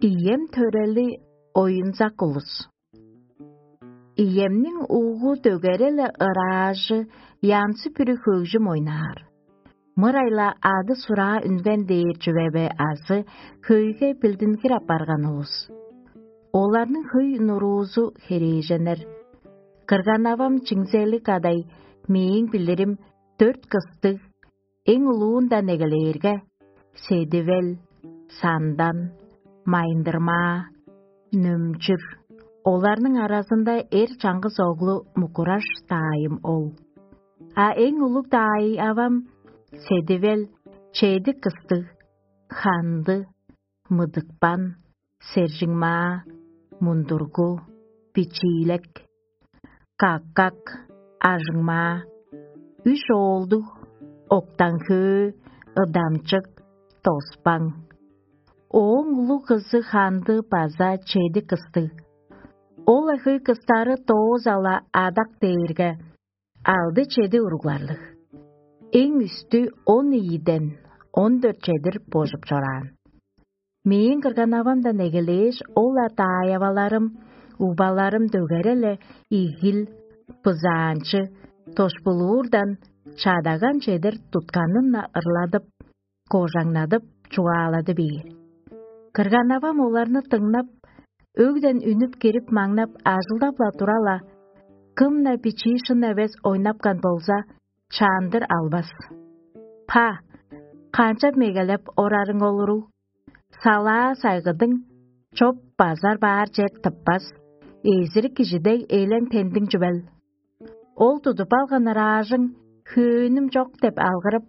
Ием төрели оюнзак улус. Иемниң угу дөгере-ле ыраажы, янзы-бүрү хөгжүм ойнаар. Мырайла ады-сураа үнген дээр чүве бе азы хөйге билдингир апарган улус? Оларның хөй нуруузу херээженнер. Кырган-авам чиңзелиг адай, мээң билирим, дөрт кыстыг, эң улуундан эгелээрге, Седивел, Сандан, Майындырмаа, Нөмчүр. Оларның аразында эр чаңгыс оглу Мукураш даайым ол. А эң улуг даай авам Седивел, чеди кыстыг, Ханды, Мыдыкпан, Сержиңмаа, Мундургу, бичиилек, каккак, ажыңмаа, үш оолдуг, октан-хөө, ыдамчык, тоспаң. Ооң улуг кызы ханды база чеди кыстыг. Ол-ла хөй кыстары доозала адак дээрге, алды-чеди уругларлыг. Эң үстү он ийиден он дөрт чедир божуп чораан. Мээң кырган-авамдан эгелээш, ол-ла даайаваларым, угбаларым дөгере-ле игил, бызаанчы, дошпулуурдан чадаган чедир тутканын-на ырладып, кожаңнадып, чугаалады бээр. Кырган-авам оларны дыңнап, өгден үнүп кирип-маңнап, ажылдап-ла тура-ла, кым-на бичии шын эвес ойнапкан болза, чаандыр албас. Па, канчап мегелеп орарың ол уруг? Салаа сайгыдың чоп базар баар чер тыппас, эзирик кижи дег элең тендиң чүвел. Ол тудуп алган ыраажың хөөнүм чок деп алгырып,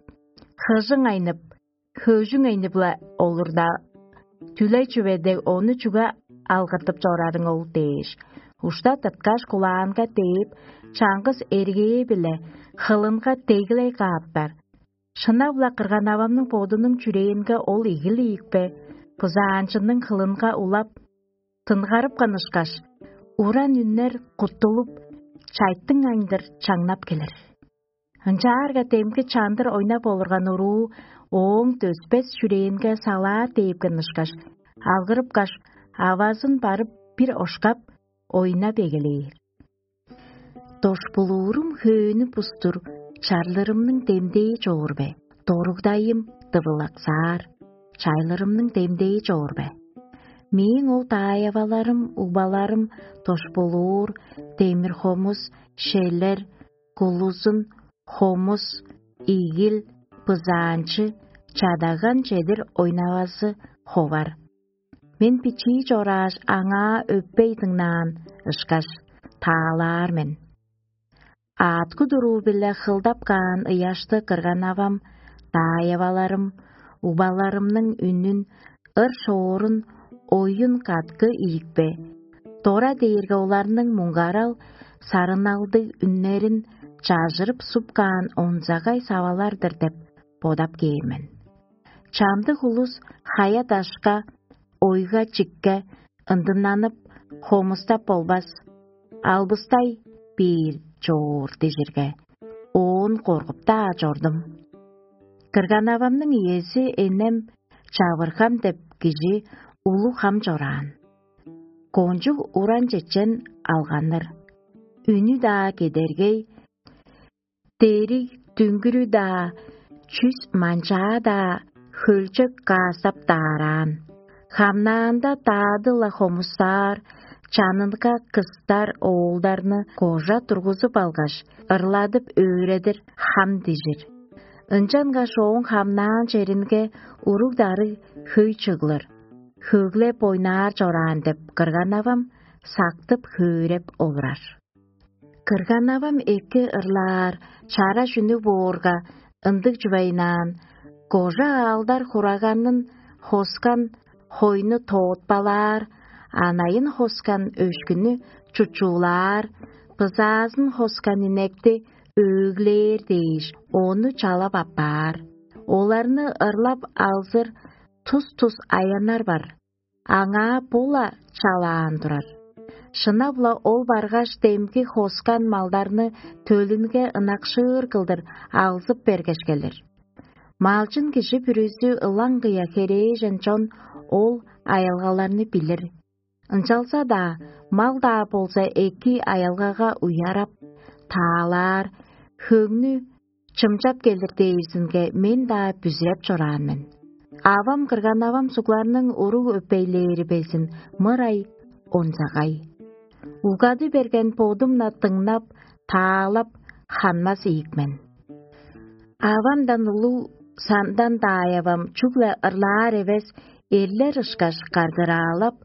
хыжың айнып, хөөжүң айнып-ла олурда, түлей чүве дег ону чүге алгыртып чорарың ол дээш, ушта тырткаш кулаанга дээп, чаңгыс эргээ-биле хылынга деглей кааптар. Шынап-ла кырган-авамның бодунуң чүрээнге ол игил ийикпе, бызаанчының хылынга улап, тынгарыпкан ышкаш, уран үннер куттулуп, чайтың айындыр чаңнап келир. Ынчаарга демги чандыр ойнап олурган уруу ооң дөспес чүрээнге салаар дээпкен ышкаш, алгырыпкаш, авазын барып бир ошкап, ойнап эгелээр. Дошпулуурум хөөнү бустур, чарлырымның демдээ чоор бе? Доругдайым дывылаксаар, чайлырымның демдээ чоор бе? Мээң ол даайаваларым, угбаларым, дошпулуур, демир хомус, шелер, кулузун, хомус, игил, бызаанчы, чадаган чедир ойнавазы ховар. Мен бичии чорааш, аңаа өппей дыңнаан ышкаш, таалаар мен. Аъткы туруу-биле хылдап каан ыяшты кырган-авам, даайаваларым, убаларымның үнүн, ыр-шоорун, оюн каткы ийикпе, дора дээрге оларның муңгарал, сарыналдыг үннерин чажырып суп каан онзагай савалар-дыр деп бодап кээр мен. Чамдык улус хая-дашка, ойга-чикке ындыннанып, хомустап болбас, албыстай бээр чоор дижирге, оон коргуп-даа чордум. Кырган-авамның иези энем Чавыргам деп кижи улуг хам чораан. Кончуг уран чечен алганнар. Үнү-даа кедергей, дериг дүңгүрү-даа, чүс манчаа-даа хөлчек каастап даараан. Хамнаанда даады-ла хомустаар, чанынга кыстар оолдарны кожа тургузуп алгаш, ырладып өөредир хам дижир. Ынчангаш ооң хамнаан черинге уруг-дарыг хөй чыглыр, хөглеп ойнаар чораан деп кырган-авам сактып-хөөреп олурар. Кырган-авам эки ырлаар, чара чүнү боорга, ындыг чүвейнаан, кожа аалдар хураганын хоскан хойну тоотпалаар, анайын хоскан өшкүнү чучуулаар, бызаазын хоскан инекти өөглээр дээш, ону чалап аппаар. Оларны ырлап алзыр тус-тус аяннар бар. Аңаа бо-ла чалаан турар. Шынап-ла ол баргаш, демги хоскан малдарны төлүнге ынакшыыр кылдыр алзып бергеш келир. Малчын кижи бүрүзү ылаңгыя херээжен чон ол аялгаларны билир. Ынчалза-даа мал-даа болза эки аялгага уярап, таалаар, хөңнү чымчап келир дээрзинге мен-даа бүзүреп чораан мен. Авам кырган-авам сугларның уруг өпейлээри безин мырай онзагай. Угады берген бодум-на дыңнап, таалап, ханмас ийик мен. Авамдан улуг сандан даайавам чүгле ырлаар эвес, эрлер ышкаш каргыраалап,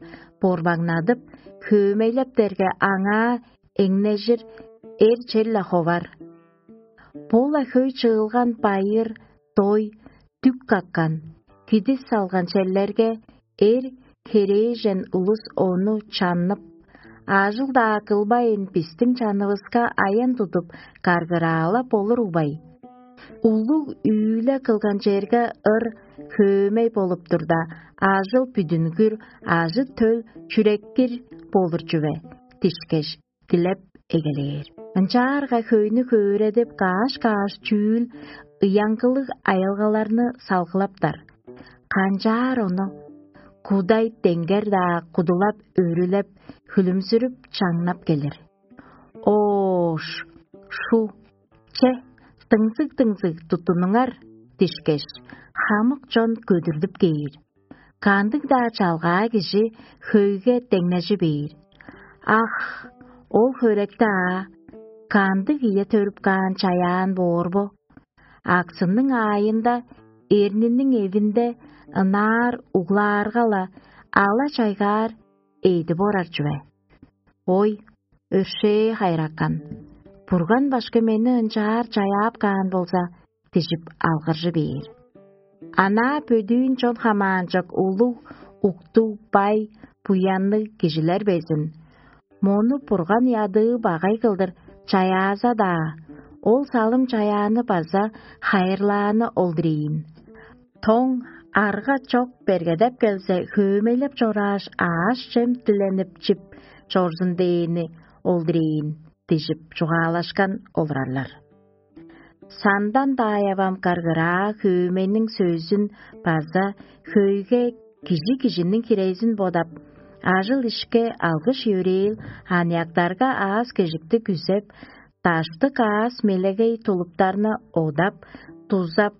борбаңнадып, хөөмейлептерге аңаа эңнежир эр чер-ле ховар. Бо-ла хөй чыылган байыр, дой, дүк каккан, кидис салган черлерге эр херээжен улус ону чаннып, Ажыл-даа кылбайн, бистиң чанывыска аян тудуп, каргыраалап болур угбай? Улуг үүле кылган черге ыр хөөмей болуп турда, ажыл бүдүнгүр, ажы-төл чүреккир болур чүве дишкеш, дилеп эгелээр. Ынчаарга хөйнү хөөредип, каш-каш чүүл ыяңгылыг аялгаларны салгылаптар. Канчаар ону кудай деңгер-даа кудулап, өрүлеп, хүлүмзүрүп, чаңнап келир. Оош, шу, че, дыңзыг-дыңзыг туттунуңар дишкеш, хамык чон көдүрлүп кээр. Кандыг-даа чалгаа кижи хөйге деңнежи бээр: «Ах, ол хөректи аа, кандыг ийе төрүп каан чаяан боор бо? Аксының аайында, эрниниң эвинде ынаар углаарга-ла, ала-чайгаар эъдип орар чүве. Ой, өршээ хайыракан! Бурган башкы мени ынчаар чаяап каан болза», — дижип алгыржы бээр. Анаа бөдүүн чон хамаанчок улуг, уктуг, бай, буянныг кижилер безин. Мону Бурган ядыы багай кылдыр чаяаза-даа, ол салым чаяаны база хайырлааны ол-дур ийин. Тоң, арга чок бергедеп келзе, хөөмейлеп чорааш, аъш-чем диленип чип чорзун дээни ол-дур ийин, дижип чугаалашкан олурарлар. Сандан даайавам каргыраа хөөмейниң сөзүн база хөйге кижи кижиниң хирезин бодап, ажыл-ишке алгыш-йөрээл аныяктарга аас-кежикти күзеп, даштык аас мелегей тулуптарны одап, дузап,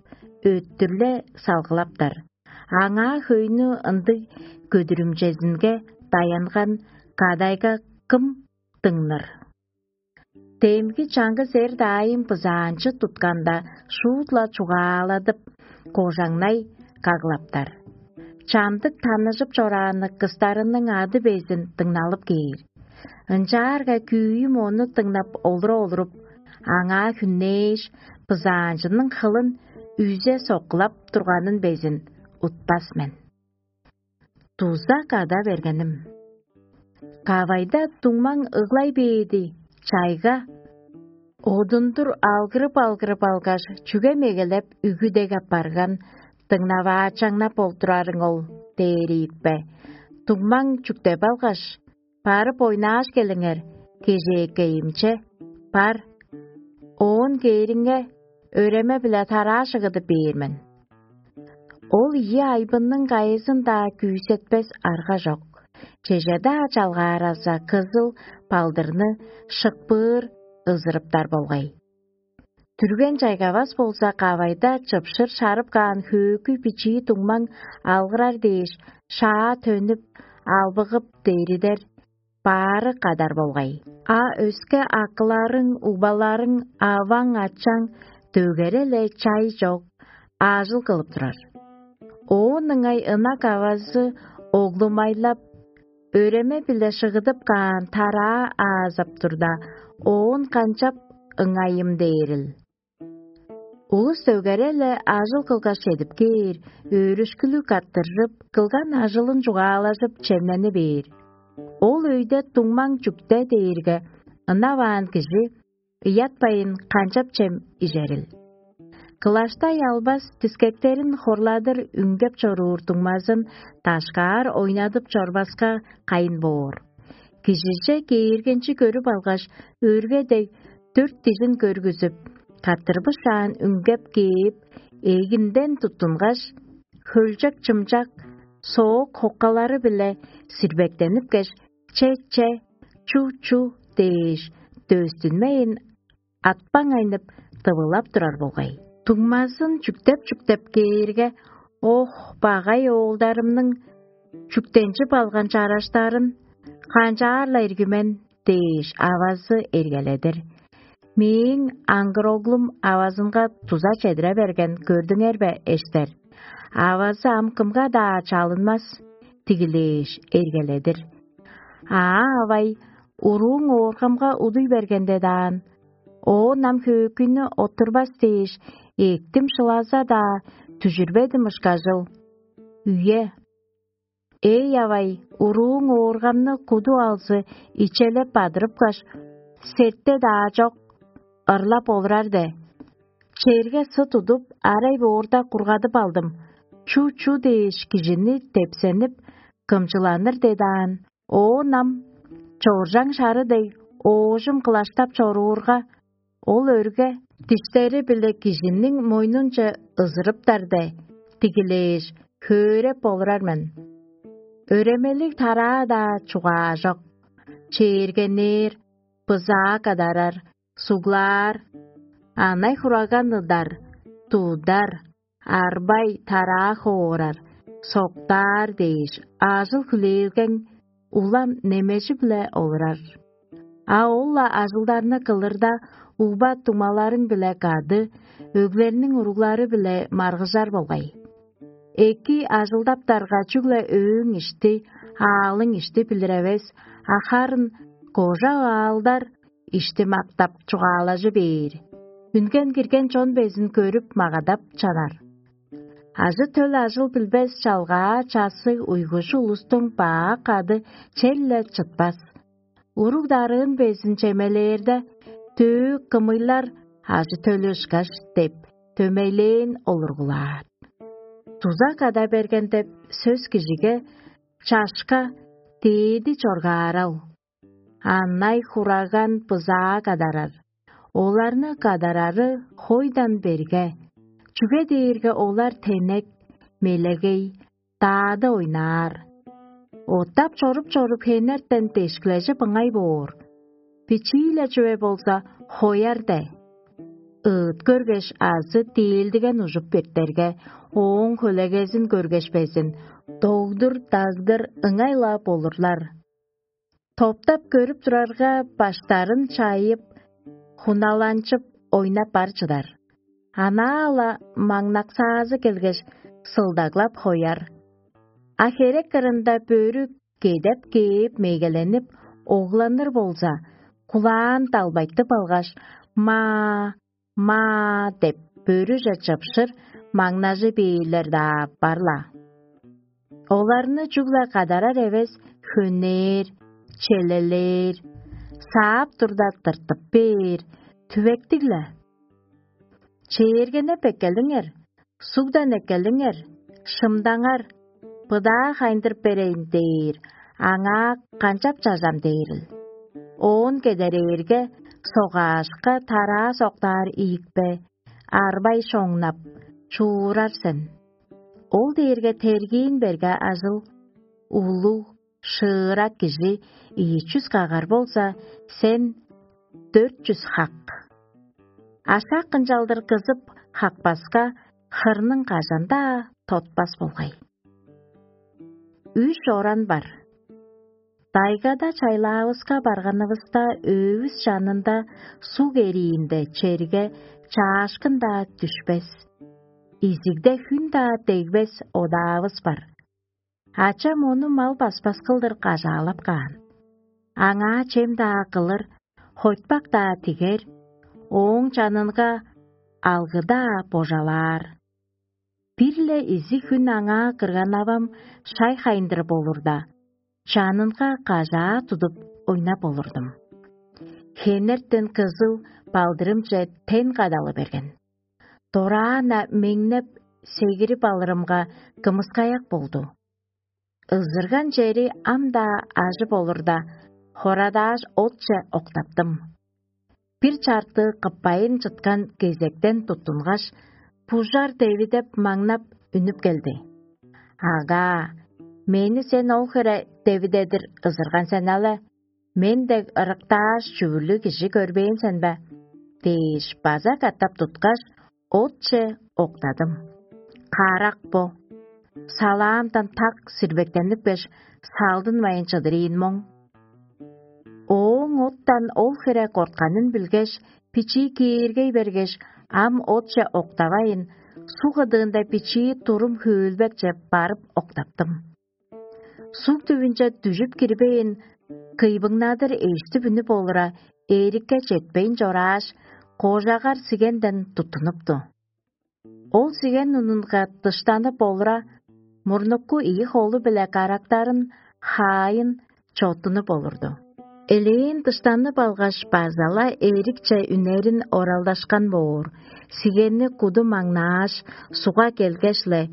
өттүрле салгылаптар. Аңаа хөйнү ындыг көдүрүмчезинге даянган кадайга кым дыңныр? Демги чаңгыс эр-даайым бызаанчы тутканда, шуут-ла чугааладып, кожаңнай каглаптар. Чамдык таныжып чораанныг кыстарының ады безин дыңналып кээр. Ынчаарга күүм ону дыңнап олура олуруп, аңаа хүннээш, бызаанчының хылын үзе соккулап турганын безин утпас мен. Дуза када бергеним. Кавайда дуңмаң ыглай бээди, чайга. Одундур алгырып-алгырып алгаш, чүге мегелеп үгүдег апарган, дыңнаваачаңнап болдурарың ол, дээр ийикпе. Дуңмаң чүктеп алгаш: «Барып ойнааш келиңер, кежээкейимче бар. Оон кээриңге, өреме-биле тараа шыгыдып бээр мен». Ол ийи айбынның кайызын-даа күүсетпес арга чок. Чеже-даа чалгаараза, кызыл балдырны шыппыыр ызырыптар болгай. Дүрген чайгавас болза, кавайда чыпшыр шарып каан хөөкүй бичии дуңмаң алгырар дээш, шаа төнүп, албыгып деридер, баары кадар болгай. А өске акыларың, угбаларың, аваң, ачаң дөгере-ле чай чок, аажыл кылып турар. Оон ыңай ынак авазы оглумайлап, өреме-биле шыгыдып каан тараа аазап турда, оон канчап ыңайым дээрил? Улус дөгере-ле ажыл кылгаш чедип кээр, өөрүшкүлүг каттыржып, кылган ажылын чугаалажып, чемнени бээр. Ол өйде дуңмаң чүкте дээрге, ынаваан кижи ыятпайн канчап чем ижерил? Кылаштай албас дискектерин хорладыр үңгеп чоруур дуңмазын дашкаар ойнадып чорбаска кайын боор. Кижиже кээргенчи көрүп алгаш, өрге дег дөрт дижин көргүзүп, каттырбышаан үңгеп кээп, эгинден туттунгаш, хөлчек-чымчак, соок хоккалары-биле сирбектенип кеш, «Че-че, чу-чу» дээш, дөстүнмейн, атпаңайнып, тывылап турар болгай. Дуңмазын чүктеп-чүктеп кээрге: «Ох, багай оолдарымның чүктенчип алган чараштарын канчаар-ла ирги мен» дээш, авазы эргеледир. Мээң аңгыр оглум авазынга дуза чедире берген, көрдүңер бе, эштер? Авазы ам кымга-даа чалынмас, дигилээш, эргеледир. Аа, авай, урууң ооргамга удуй бергенде даан, оон ам хөөкүйнү оттурбас дээш, эктим шылаза-даа, дүжүрбедим ышкажыл. Үе. Эй, авай, урууң ооргамны куду алзы ичелеп бадырыпкаш, сетте-даа чок, ырлап олурар де. Черге сы тудуп, арай боорда кургадып алдым. Чу-чу дээш кижини тепсенип, кымчыланыр дедаан. Оон ам чоржаң шары дег оожум кылаштап чоруурга, ол өрге диштери-биле кижиниң мойнунче ызырыптар де, дигилээш, хөөреп болурар мен. Өремелиг тараа-даа чугаажок, чээргенээр, бызаа кадарар, суглаар, анай-хураган ыдар, тудар, арбай, тараа хоорар, соктаар дээш, ажыл-хүлээлгең улам немежи-биле олурар. А ол-ла ажылдарны кылырда, угба дуңмаларың-биле кады, өглерниң уруглары-биле маргыжар болгай. Эки ажылдаптарга чүгле өөң ишти, аалың ишти билир эвес, а харын кожа аалдар ишти мактап чугаалажы бээр. Үнген кирген чон безин көрүп магадап чанар. Ажы-төл ажыл билбес чалгаа часы уйгушу улустуң баа кады черле чытпас. Уруг-дарыын безин чемелээрде, дөө кымыйлар ажы-төлү ышкаш деп, дөмейлээн олургулаар. Дуза када берген деп сөс кижиге чашка дээди чоргаарал. Анай-хураган бызаа кадарар. Оларны кадарары хойдан берге, чүге дээрге олар тенек, мелегей, даады ойнаар. Оттап чоруп-чоруп хенертен дешкилежип ыңай боор. Бичии-ле чүве болза, хояр де. Ыыт көргеш азы диилдиген ужуп биртерге, ооң хөлегезин көргеш безин, догдур-дагдыр ыңай-ла болурлар. Топтап көрүп турарга, баштарын чайып, хуналанчып, ойнап бар чыдар. Анаа-ла маңнаксаазы келгеш, сылдаглап хояр. А херек кырында бөрү кедеп кээп мегеленип, огланыр болза, кулаан далбайтып алгаш, маа, маа деп бөрүже чыпшыр, маңнажы бээрлер-даа бар-ла. Оларны чүгле кадарар эвес, хөнээр, челелээр, саап турда тыртып бээр, түвектиг-ле. Чээргенеп эккелиңер, сугдан эккелиңер, шымдаңар, быдаа хайындырып берейн дээр, аңаа канчап чажам дээрил. Оон кедерээрге, согаашка тараа соктаар ийикпе, арбай шоңнап, чуурар сен. Ол дээрге тергиин берге ажыл, улуг, шыырак кижи ийи чүс кагар болза, сен дөрт чүс хак. Ашак ынчалдыр кызып хакпаска, хырның кажан-даа тотпас болгай. Үш оран бар. Тайгада чайлаавыска барганывыста, өөвүс чанында суг эриинде черге чаашкын-даа дүшпес. Изигде хүн-даа дегбес одаавыс бар. Ачам ону мал баспас кылдыр кажаалап каан. Аңаа чем-даа кылыр, хойтпак-даа тигер, ооң чанынга алгы-даа божалаар. Бир-ле изиг хүн аңаа кырган-авам шай хайындырып олурда, чанынга кажаа тудуп ойнап олурдум. Хенертен кызыл балдырымче тен кадалы берген. Дораан-на меңнеп, сегирип алырымга, кымыскаяк болду. Ызырган чери ам-даа ажып олурда, хорадааш отче октаптым. Бир чартыы кыппайын чыткан кезектен туттунгаш, бужар девидеп маңнап үнүп келди. «Ага, мени сен ол хире девидедир ызырган сен але, мен дег ырыктааш чүвүрлүг кижи көрбээн сен бе?» – дээш, база катап туткаш, отче октадым. Карак бо. Салаамдан так сирбектенип кеш, салдынмайн чыдырыын моң. Ооң оттан ол хире кортканын билгеш, бичии кээргей бергеш, ам отче октавайн, суг кыдыында бичии турум хөөлбекче барып октаптым. Суг түвүнче дүжүп кирбээн, кыйбыңнадыр эштип үнүп олура, эрикке четпейн чорааш, кожагар сигенден туттунупту. Ол сиген унунга дыштанып олура, мурнуку ийи холу-биле карактарын хаайын чоттунуп олурду. Элээн дыштанып алгаш, база-ла эрикче үнерин оралдашкан боор, сигенни куду маңнааш, суга келгеш-ле: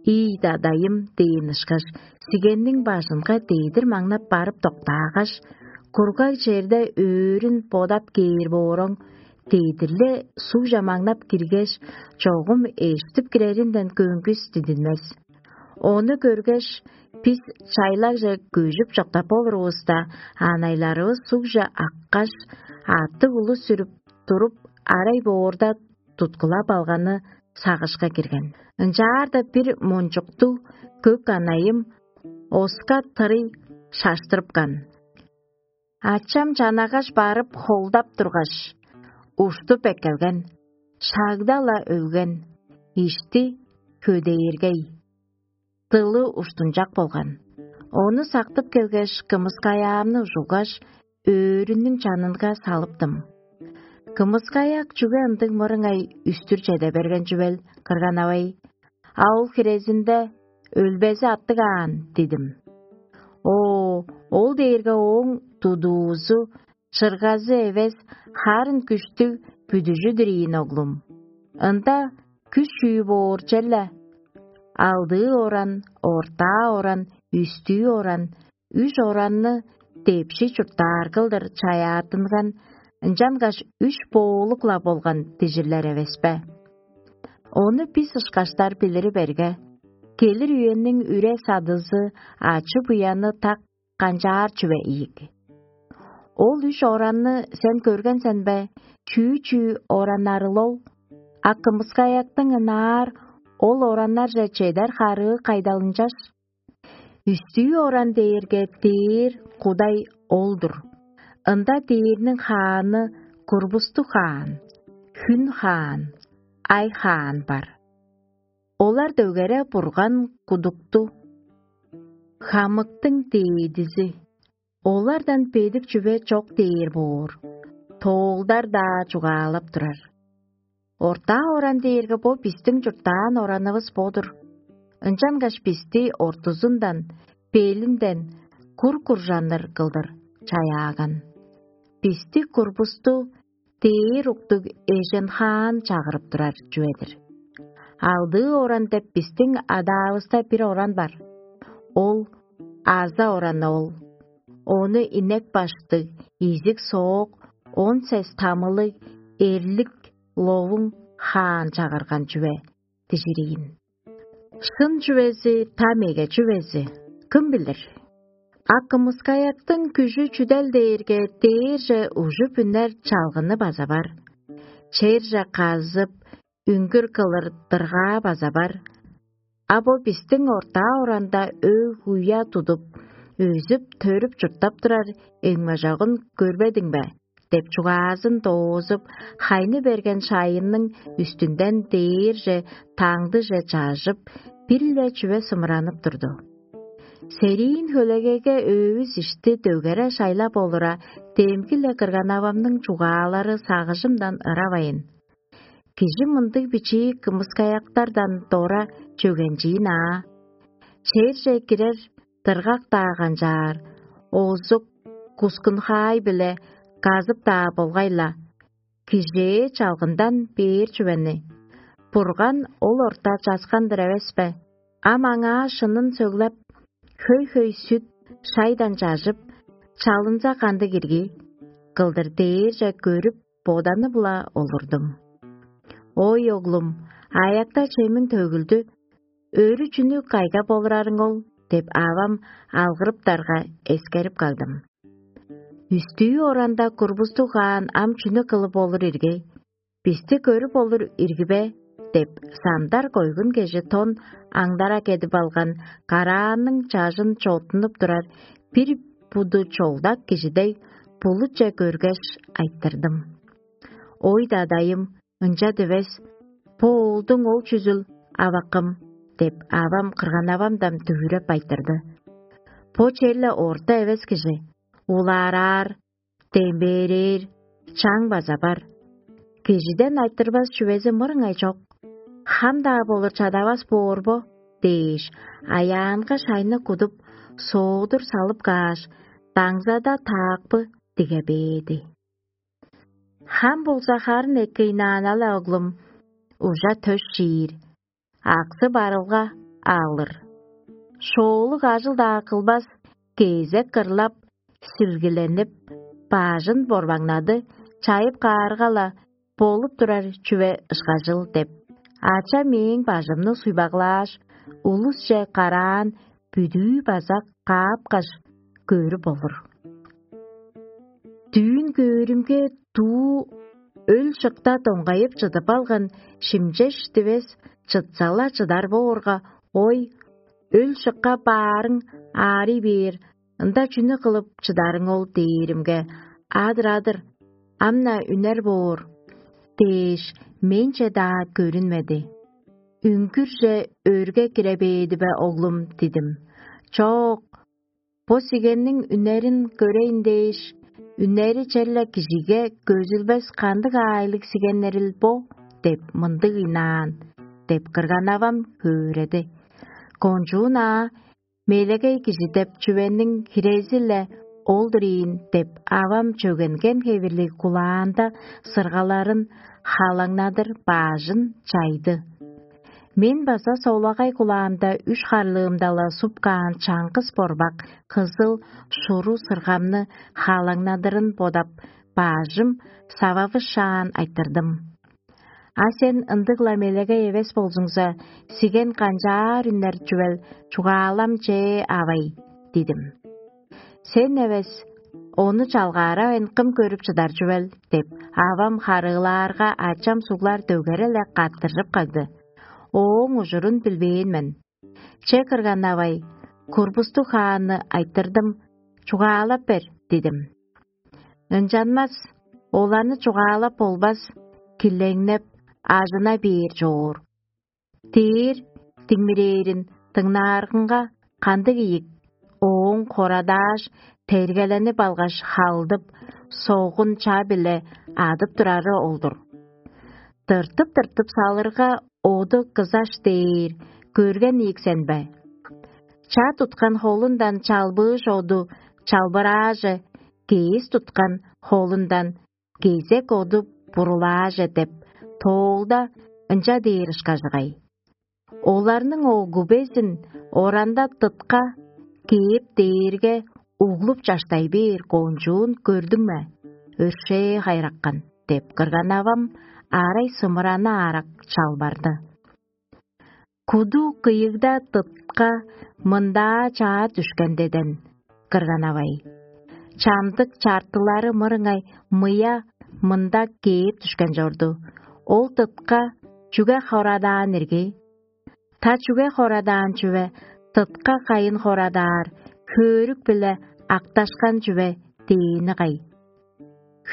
«Ийи дадайым» – дээн ышкаш, сигенниң бажынга дедир маңнап барып доктаагаш, кургаг черде өөрүн бодап кээр бооруң, дедир-ле сугже маңнап киргеш, чогум эштип киреринден көңгүс дидинмес. Ону көргеш, бис чайлагже көжүп чоктап болурувуста, анайларывыс сугже аккаш, аъттыг улус сүрүп туруп, арай боорда туткулап алганы сагышка кирген. Ынчаарда бир мончуктуг көк анайым оска тырый шаштырыпкан. Ачам чанагаш барып холдап тургаш, уштуп эккелген, шагда-ла өлген, ишти хөдээргей, дылы уштунчак болган. Ону сактып келгеш, кымыскаяамны ужугаш, өөрүнүң чанынга салыптым. Кымыскаяак чүге ындыг мырыңай үстүр чеде берген чүвел, кырган авай? А ол хирезинде өлбези аттыг аан дидим. О, ол дээрге ооң тудуузу, чыргазы эвес, харын күштүг бүдүжүдүр ийин, оглум. Ында күш чүү боор черле? Алдыы оран, ортаа оран, үстүү оран, үш оранны депши чурттаар кылдыр чаяаттынган, ынчангаш үш боолук-ла болган дижирлер эвеспе? Ону бис ышкаштар билири берге, келир үениң үре-садызы, ачы-буяны так канчаар чүве ийик. Ол үш оранны сен көрген сен бе? Чүү-чүү ораннарыл ол? А кымыскаяктың ынаар ол ораннарже чедер харыы кайдал ынчаш? Үстүү оран дээрге дээр Кудай ол-дур. Ында дээрниң хааны курбустуг хаан, хүн хаан, ай хаан бар. Олар дөгере Бурган кудукту, хамыктың дээдизи. Олардан бедик чүве чок дээр боор, тоолдар-даа чугаалап турар. Ортаа оран дээрге бо бистиң чурттаан оранывыс бо-дур. Ынчангаш бисти ортузундан, белинден кур-куржанныр кылдыр чаяаган. Бисти курбусту дээр уктуг эжен хаан чагырып турар чүве-дир. Алдыы оран деп бистиң адаавыста бир оран бар. Ол аза ораны ол. Ону инек баштыг, изиг соок, он сес тамылыг, эрлик, ловуң хаан чагырган чүве дижириин. Шын чүвези, та меге чүвези, кым билир? А кымыскаяктың күжү чүдел дээрге, дээрже ужуп үнер чалгыны база бар. Черже казып, үңгүр кылыр дыргаа база бар. А бо бистиң ортаа оранда өг-уя тудуп, өзүп-төрүп чурттап турар эңмежогун көрбедиң бе? Деп чугаазын доозуп, хайны берген шайынның үстүнден дээрже, таңдыже чажып, бир-ле чүве сымыранып турду. Сериин хөлегейге өөвүс ишти дөгере шайлап олура, демги-ле кырган-авамның чугаалары сагыжымдан ыравайн. Кижи мындыг бичии кымыскаяктардан дора чөгенчиин аа. Черже кирер дыргак-даа канчаар, оозук, кускун-хаай-биле казып-даа болгай-ла, кижээ чалгындан бээр чүвени. Бурган ол орта часкан-дыр эвес бе? Ам аңаа шынын сөглеп, хөй-хөй сүт, шайдан чажып, чалынза кандыг ирги? Кылдыр дээрже көрүп, боданып-ла олурдум. Ой, оглум, аякта чемиң төгүлдү, өрү чүнү кайга болурарың ол? Деп авам алгырыптарга эскерип кагдым. Үстүү оранда курбустуг хаан ам чүнү кылып олур иргей? Бисти көрүп олур ирги бе? Деп, сандар койгун кежи тон аңдара кедип алган караанның чажын чоттунуп турар бир буду чолдак кижи дег булутче көргеш, айтырдым: «Ой, дадайым, ынча дивес, бо оолдуң ол чүзүл, авакым?» — деп, авам кырган-авамдан дүвүреп айтырды. «Бо черле орта эвес кижи, улаараар, дембээрээр, чаң база бар. Кижиден айтырбас чүвези мырыңай чок. Хам-даа болур чадавас боор бо?» дээш, аяанга шайны кудуп, соодур салып кааш, даңзада таакпы диге бээди. Хам болза харын эккейнаан-ла, оглум, ужа төш чиир, аксы барылга алыр. Шоолуг ажыл-даа кылбас, кезек кырлап, силгиленип, бажын борбаңнады, чайып каарга-ла, болуп турар чүве ышкажыл деп, ача мээң бажымны суйбаглааш, улусче караан бүдүү база каапкаш, көрүп олур. Дүүн көөрүмге, дуу өл шыкта доңгайып чыдып алган шимчеш дивес чытса-ла чыдар боорга, ой, өл шыкка баарың аарый бээр, ында чүнү кылып чыдарың ол дээримге, адыр-адыр, ам-на үнер боор дээш, менче-даа көрүнмеди. Үңгүрже өрге кире бээди бе, оглум, дидим. Чок, бо сигенниң үнерин көрейн дээш, үнери черле кижиге көзүлбес кандыг аайлыг сигеннерил бо деп мындыг ыйнаан, деп кырган-авам хөөреди. Кончуун аа мелегей кижи деп чүвениң хирези-ле ол-дур ийин деп, авам чөгенген хевирлиг кулаанда сыргаларын халаңнадыр баажын чайды. Мен база солагай кулаамда үш харлыымда-ла суп каан чаңгыс борбак кызыл шуру сыргамны хаалаңнадырын бодап, баажым сававышаан айтырдым. А сен ындыг-ла мелегей эвес болзуңза, сиген канчаар үнер чүвел, чугаалам чээ авай, дидим. Сен эвес, ону чалгааравайн кым көрүп чыдар чүвел деп, авам харыылаарга, ачам суглар дөгере-ле каттыржып кагды. Ооң ужурун билбээн мен. Че кырган-авай, курбустуг хаанны айтырдым, чугаалап бер, дидим. Ынчанмас, оларны чугаалап болбас, килеңнеп, ажына бээр чоор. Дээр диңмирээрин дыңнааргынга, кандыг ийик, ооң хорадааш, тергеленип алгаш халдып, согун ча-биле адып турары ол-дур. Тыртып-тыртып салырга, оду кызаш дээр, көрген ийик сен бе? Ча туткан холундан чалбыыш оду чалбырааже, кээс туткан холундан кезек оду бурулааже деп, тоолда ынча дээр ышкажыгай. Оларның огу безин оранда тытка кээп дээрге, углуп чаштай бээр кончуун көрдүң ме? Өршээ хайраккан деп, кырган-авам арай сымыраны аарак чалбарды. Куду кыйыгда тытка мындаа чаа дүшкен деден, кырган-авай. Чамдык чартылары мырыңай мыя мында кээп дүшкен чорду. Ол тытка чүге хорадаан ирги? Та чүге хорадаан чүве, тытка кайын хорадаар, хөөрүк-биле акташкан чүве дээни кай?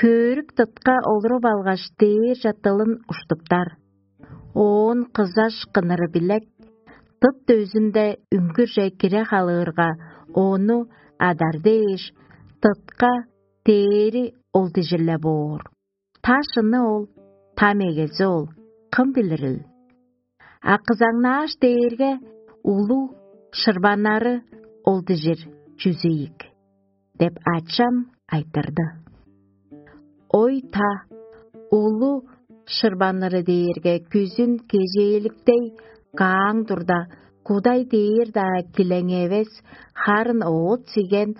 Хөөрүк тытка олуруп алгаш, дээрже дылын уштуптар. Оон кызаш кыныры билек, тыт дөзүнде үңгүрже кире халыырга, ону адар дээш, тытка дээри ол дижир-ле боор. Та шыны ол, та мегези ол, кым билирил? А кызаңнааш дээрге, улуг шырбаннары ол дижир чүзү ийик деп, ачам айтырды. Ой та, улу шырбанныры дээрге күзүн кежээликтей кааң турда, кудай дээр-даа килең эвес, харын оът сиген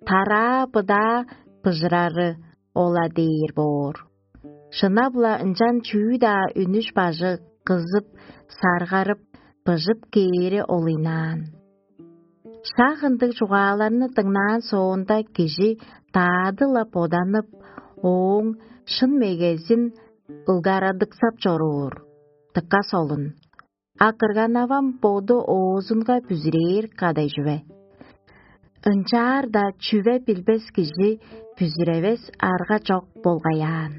тараа быдаа быжырары ола дээр боор. Шынап-ла ынчан чүү-даа үнүш бажы кызып, саргарып, быжып кээри олуйнаан. Шак ындыг чугааларны дыңнаан соонда, кижи даады-ла боданып, ооң шын мегезин ылгарадыксап чоруур. Дыка солун. А кырган-авам боду оозунга бүзүрээр кадай чүве. Ынчаар-даа чүве билбес кижи бүзүревес арга чок болгаяан.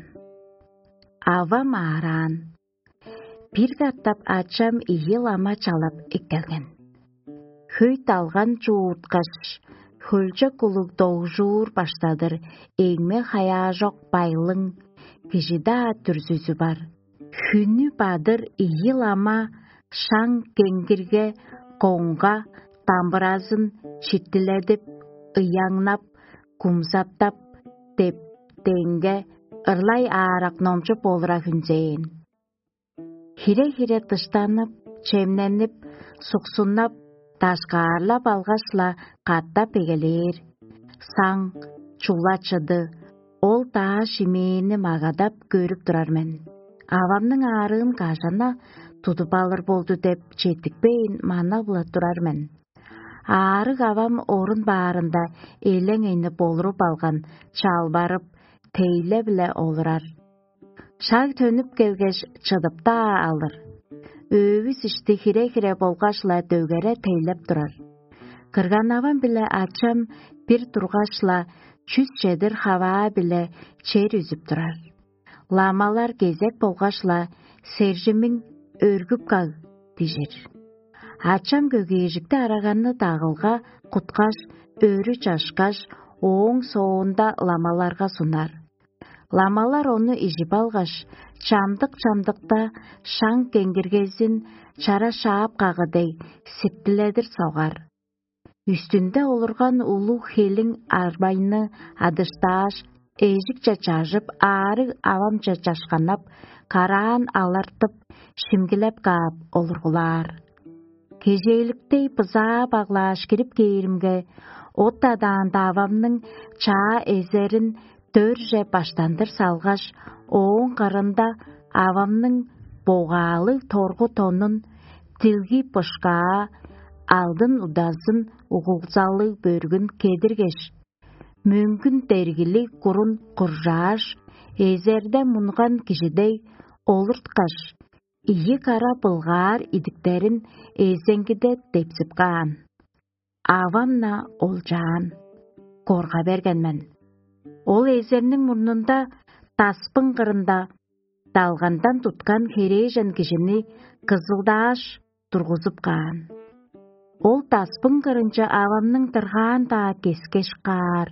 Авам аараан. Бир катап ачам ийи лама чалап эккелген. Хөй далган чуурткаш, хөлчок улуг догжуур баштадыр, эңме хаяажок байлың, кижи-даа дүрзүзү бар. Хүннү бадыр ийи лама шаң кеңгирге коңга, дамбыразын шиттиледип, ыяңнап, кумзаптап, деп, деңге ырлай аарак номчуп олура хүнзээн. Хире-хире дыштанып, чемненип, суксуннап, дашкаарлап алгаш-ла катап эгелээр. Саң, чула-чыды, ол даа шимээни магадап көрүп турар мен. Авамның аарыын кажана тудуп алыр болду деп четтикпейн мана-ла турар мен. Аарыг авам орун баарында элең-эйни болуруп алган, чалбарып, тейле-биле олурар. Шаг төнүп келгеш, чыдып-даа алыр. Өвүс ишти хире-хире болгаш-ла дөгере тейлеп турар. Кырган-авам биле ачам бир тургаш-ла чүс чедир хаваа-биле чер үзүп турар. Ламалар кезек болгаш-ла: «Сержимиң өргүп каг» — дижир. Ачам көгээржикти араганны дагылга куткаш, өрү чашкаш, ооң соонда ламаларга сунар. Ламалар ону ижип алгаш, чамдык-чамдыкта шаң кеңгиргезин чара шаап кагы дег сиптиледир согар. Үстүнде олурган улуг хелиң арбайны адыштааш, эжикче чажып, аарыг авамче чашканнап, караан алартып, шимгилеп каап олургулаар. Кежээликтей бызаа баглааш кирип кээримге, от адаанда авамның чаа эзерин дөрже баштандыр салгаш, ооң кырында авамның богаалыг торгу тонун, дилги бышкаа, алдын удазын угулзалыг бөргүн кедиргеш, мөңгүн дергилиг курун куржааш, эзерде мунган кижи дег олурткаш, ийи кара былгаар идиктерин эзеңгиде депсип каан. Авам-на олчаан, корга берген мен. Ол эзерниң мурнунда, даспың кырында, далгандан туткан херээжен кижини кызылдааш тургузуп каан. Ол даспың кырынче авамның дыргаан-даа кескеш каар,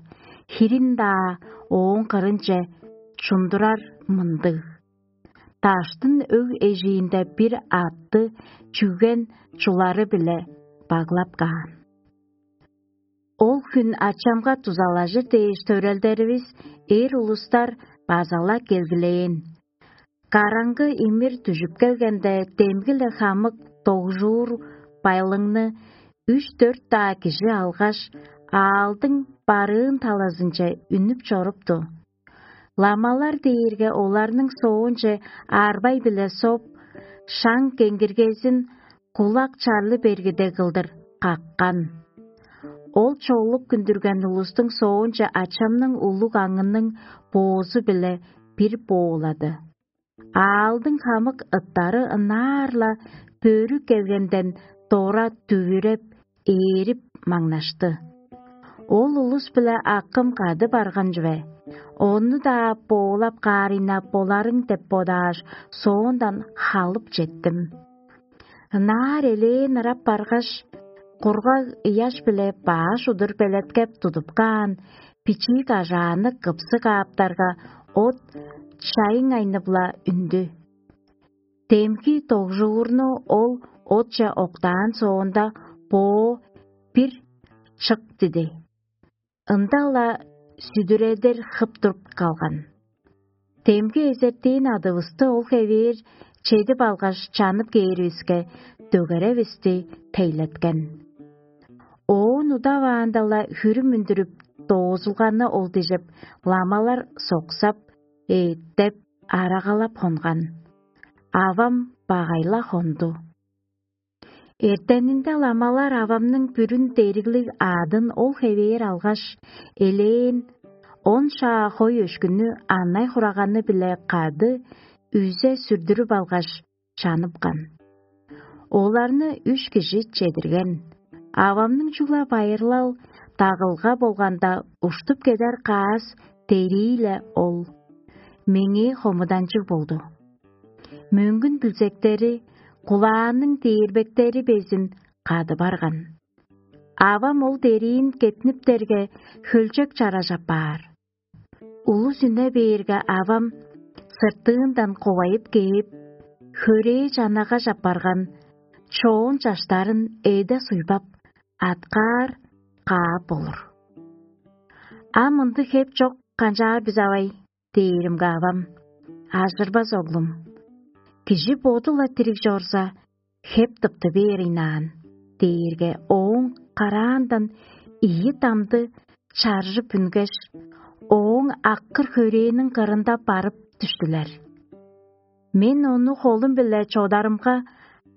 хирин-даа ооң кырынче чундурар мындыг: даштын өг эжиинде бир аътты чүген чулары-биле баглап каан. Ол хүн ачамга дузалажыр дээш, төрелдеривис, эр улустар база-ла келгилээн. Караңгы имир дүжүп келгенде, демги-ле хамык догжуур байлыңны үш-дөрт-даа кижи алгаш, аалдың барыын талазынче үнүп чорупту. Ламалар дээрге оларның соонче арбай-биле соп, шаң кеңгиргезин кулак чарлы бергиде кылдыр каккан. Ол чоолуп күндүрген улустуң соонче ачамның улуг аңының боозу-биле бир боолады. Аалдың хамык ыттары ынаар-ла бөрү келгенден дора дүвүреп, ээрип маңнашты. Ол улус-биле акым кады барган чүве. Ону-даа боолап каарыйнап боларың деп бодааш, соондан халып четтим. Ынаар элээн ырап баргаш, кургаг ыяш-биле баш удур белеткеп тудуп каан бичии кажааны кыпсы кааптарга, от шайың айнып-ла үндү. Демги догжуурну ол отче октаан соонда, боо бир чык диди. Ында-ла сүдүредир хып туруп калган. Демги эзертиин адывысты ол хевээр чедип алгаш, чанып кээривиске, дөгеревисти тейлеткен. Оон удаваанда-ла хүрүм үндүрүп, доозулганы ол дижип, ламалар соксап, эъттеп, арагалап хонган. Авам багай-ла хонду. Эртенинде ламалар авамның бүрүн дериглиг аъдын ол хевээр алгаш, элээн он шаа хой өшкүнү анай-хураганы-биле кады үзе сүрдүрүп алгаш, чаныпкан. Оларны үш кижи чедирген. Авамның чугула байырлал дагылга болганда уштуп кедер каас дерии-ле ол. Меңээ хомуданчыг болду. Мөңгүн билзектери, кулааның дээрбектери безин кады барган. Авам ол дериин кетниптерге, хөлчек чараш апаар. Улус үне бээрге, авам сыртыындан кувайып кээп, хөрээ чанагаш апарган, чоон чаштарын эде суйбап, аткаар каап болур. «Ам ындыг хеп чок канчаар бис, авай?» — дээримге, авам: «Ажырбас, оглум. Кижи боду-ла дириг чорза, хеп тыпты бээр ыйнаан» — дээрге, ооң караандан ийи дамды чаржып үнгеш, ооң аккыр хөрээниң кырында барып дүштүлер. Мен ону холум-биле чодарымга,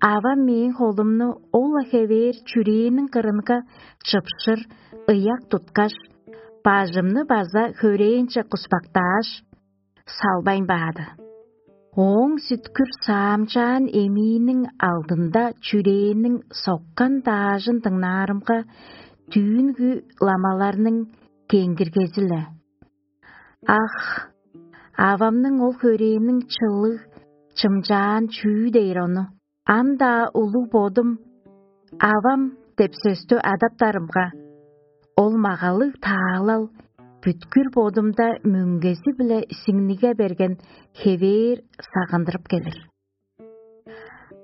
авам мээң холумну ол-ла хевээр чүрээниң кырынга чыпшыр ыяк туткаш, бажымны база хөрээнче куспактааш, салбайн баады. Ооң сүткүр саамчаан эмииниң алдында чүрээниң соккан даажын дыңнаарымга, түүнгү ламаларның кеңгиргези-ле. Ах, авамның ол хөрээниң чылыг чымчаан чүү дээр ону! Ам-даа улуг бодум «авам» деп сөстү адаптарымга, ол магалыг таалал бүткүр бодумда мөңгези-биле сиңниге берген хевээр сагындырып келир.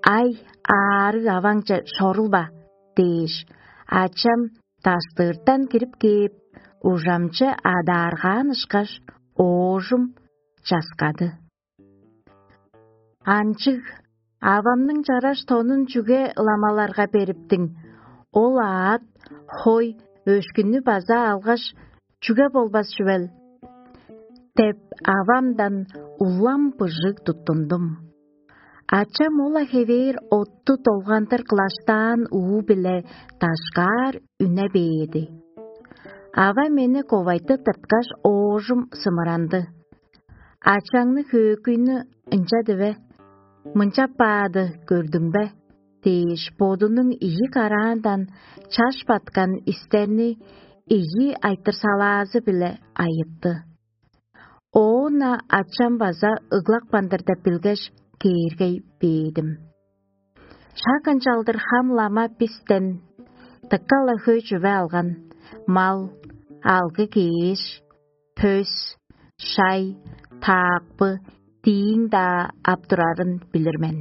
«Ай, аарыг аваңче чорулба» дээш, ачам даштыыртан кирип кээп, ужамче адааргаан ышкаш, оожум часкады. «Анчыг, авамның чараш тонун чүге ламаларга бериптиң? Ол аът, хой, өшкүннү база алгаш, чүге болбас чүвел?» — деп, авамдан улам быжыг туттундум. Ачам ол-ла хевээр отту долгандыр кылаштаан уу-биле дашкаар үне бээди. Ава мени ковайтып тырткаш, оожум сымыранды. «Ачаңны, хөөкүйнү ынча диве, мынчап баады көрдүң бе?» — дээш, бодунуң ийи караандан чаш баткан истерни ийи айтырсалаазы-биле айытты. Оон-на ачам база ыглапкан-дыр деп билгеш, кээргей бээдим. Шак ынчалдыр хам лама бистен дыка-ла хөй чүве алган: мал, алгы-кеш, пөс, шай, таакпы, дииң-даа ап турарын билир мен.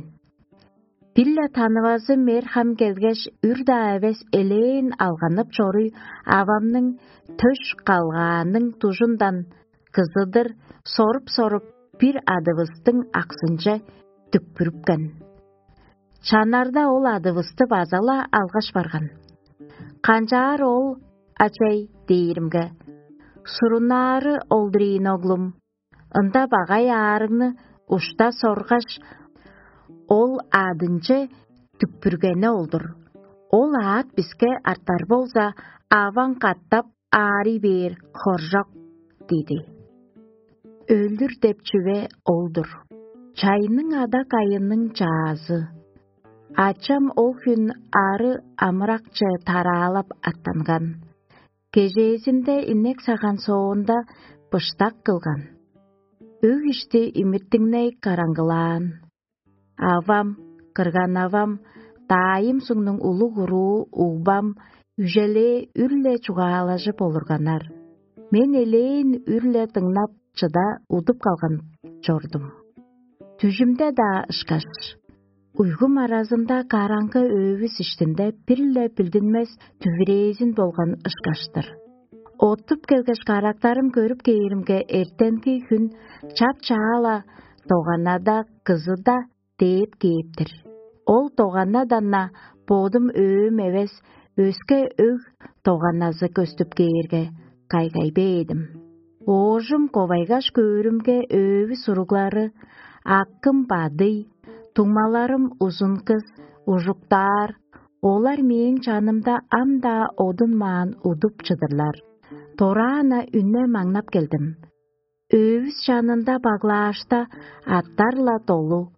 Бир-ле танывазы мер-хам келгеш, үр-даа эвес элээн алганып чоруй, авамның төш калгааның дужундан кызыдыр соруп-соруп, бир адывыстың аксынче дүкпүрүпкен. Чаннарда ол адывысты база-ла алгаш барган. «Канчаар ол, ачай?» — дээримге: «Суруннаары олдур ийин, оглум. Ында багай аарыгны ушта соргаш, ол адынче дүкпүргени ол-дур. Ол аът биске артар болза, аваң катап аарый бээр хоржок» — диди. Өлүр деп чүве ол-дур. Чайның ада-кайының чаазы. Ачам ол хүн ары амыракче тараалап аттанган. Кежээзинде инек саган соонда быштак кылган. Өг ишти имиртиңней караңгылаан. Авам, кырган-авам, даайым сугнуң улуг уруу угбам үжелээ үр-ле чугаалажып олурганнар. Мен элээн үр-ле дыңнап, чыда удуп калган чордум. Дүжүмде-даа ышкаш, уйгум аразында караңгы өвүс иштинде бир-ле билдинмес дүвүрээзин болган ышкаш-тыр. Оттуп келгеш, карактарым көрүп кээримге, эртенги хүн чап-чаа-ла доганада кызыда дээп кээп-тир. Ол доганадан-на бодум өөм эвес, өске өг доганазы көстүп кээрге, кайгай бээдим. Оожум ковайгаш көөрүмге, өөвү суруглары: акым бадый, дуңмаларым узун кыс, ужуктаар, олар мээң чанымда ам-даа одунмаан удуп чыдырлар. Дораан-на үне маңнап келдим. Өвүс чанында баглаашта аттар-ла долу,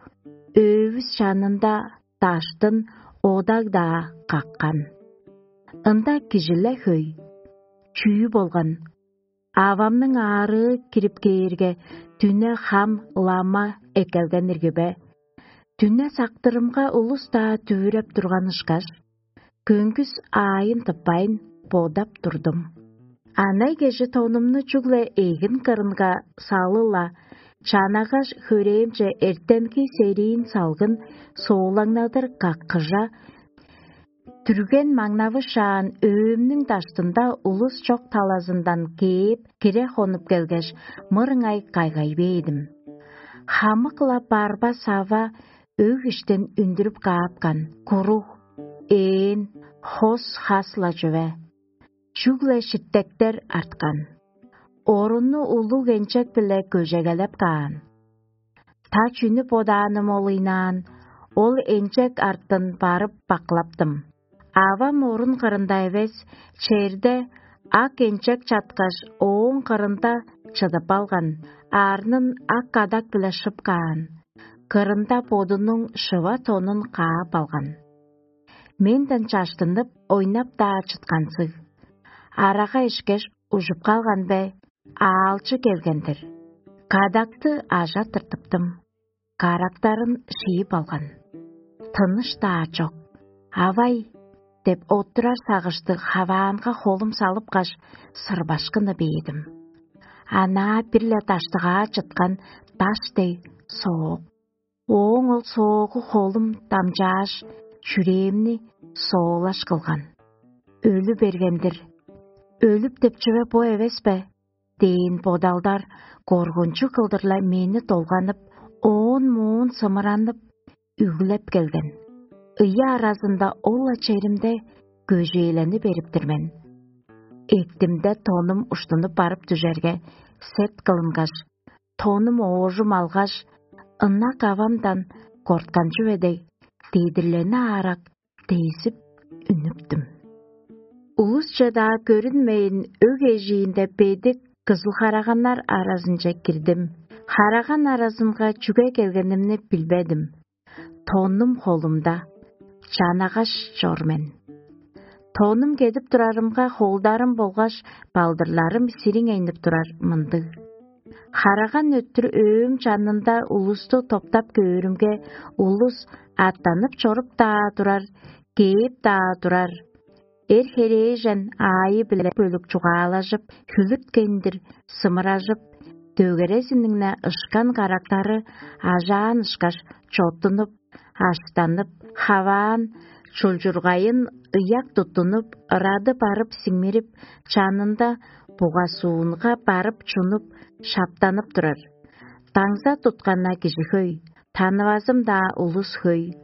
өвүс чанында даштын одаг-даа каккан. Ында кижи-ле хөй. Чүү болган? Авамның аарыы кирип кээрге, дүне хам лама эккелген ирги бе? Дүне сактырымга улус-даа дүвүреп турган ышкаш, көңгүс аайын тыппайн бодап турдум. Анай кежи тонумну чүгле эгин кырынга салы-ла, Чанагаш хөрээмче эртенги сериин салгын суулаңнадыр каккыжа, түрген маңнавышаан өөмнүң даштында улус чок талазындан кээп, кире хонуп келгеш, мырыңай кайгай бээдим. Хамык-ла барба-сава өг иштен үндүрүп каапкан: куруг, ээн, хос хас-ла чүве. Чүгле шиттектер арткан. Орунну улуг энчек-биле көжегелеп каан. Та чүнү бодааным ол ыйнаан, ол энчек артын барып бакылаптым. Авам орун кырында эвес, черде ак энчек чаткаш, ооң кырында чыдып алган, арнын ак кадак-биле шып каан, кырында бодунуң шыва тонун каап алган. Менден чаштынып, ойнап-даа чыткансыг. Арага ишкеш, ужуп калган бе, аалчы келген-дир. Кадакты ажа тыртыптым. Карактарын шиип алган. Тыныш-даа чок. «Авай!» — деп оттурар сагыштыг хаваанга холум салыпкаш, сырбашкыны бээдим. Анаа бир-ле даштыгаа чыткан даш дег соок. Ооң ол соогу холум дамчааш, чүрээмни соолаш кылган. Өлү берген-дир. Өлүп деп чүве бо эвес бе? Дээн бодалдар коргунчуг кылдыр-ла мени долганып, оон-моон сымыранып, үглеп келген. Ыйы аразында ол-ла черимде көжээлени берип-тир мен. Эктимде тонум уштунуп барып дүжерге, сет кылынгаш, тонум оожум алгаш, ынак авамдан корткан чүве дег, дедирлени аарак дезип үнүптүм. Улусче-даа көрүнмейн, өг эжиинде бедик кызыл хараганнар аразынче кирдим. Хараган аразынга чүге келгенимни билбедим. Тонум холумда, чанагаш чор мен. Тонум кедип турарымга, холдарым болгаш балдырларым сириңейнип турар мындыг. Хараган өттүр өөм чанында улусту топтап көөрүмге, улус аттанып чоруп-даа турар, кээп-даа турар. Эр-херээжен аайы-биле бөлүк чугаалажып, хүлүткендир сымыражып, дөгерезиниң-не ышкан карактары ажаан ышкаш чоттунуп, аштанып, хаваан, чулчургайын ыяк туттунуп, ырады барып сиңмирип, чанында бугасуунга барып чунуп, шаптанып турар. Даңза туткан-на кижи хөй, танывазым-даа улус хөй.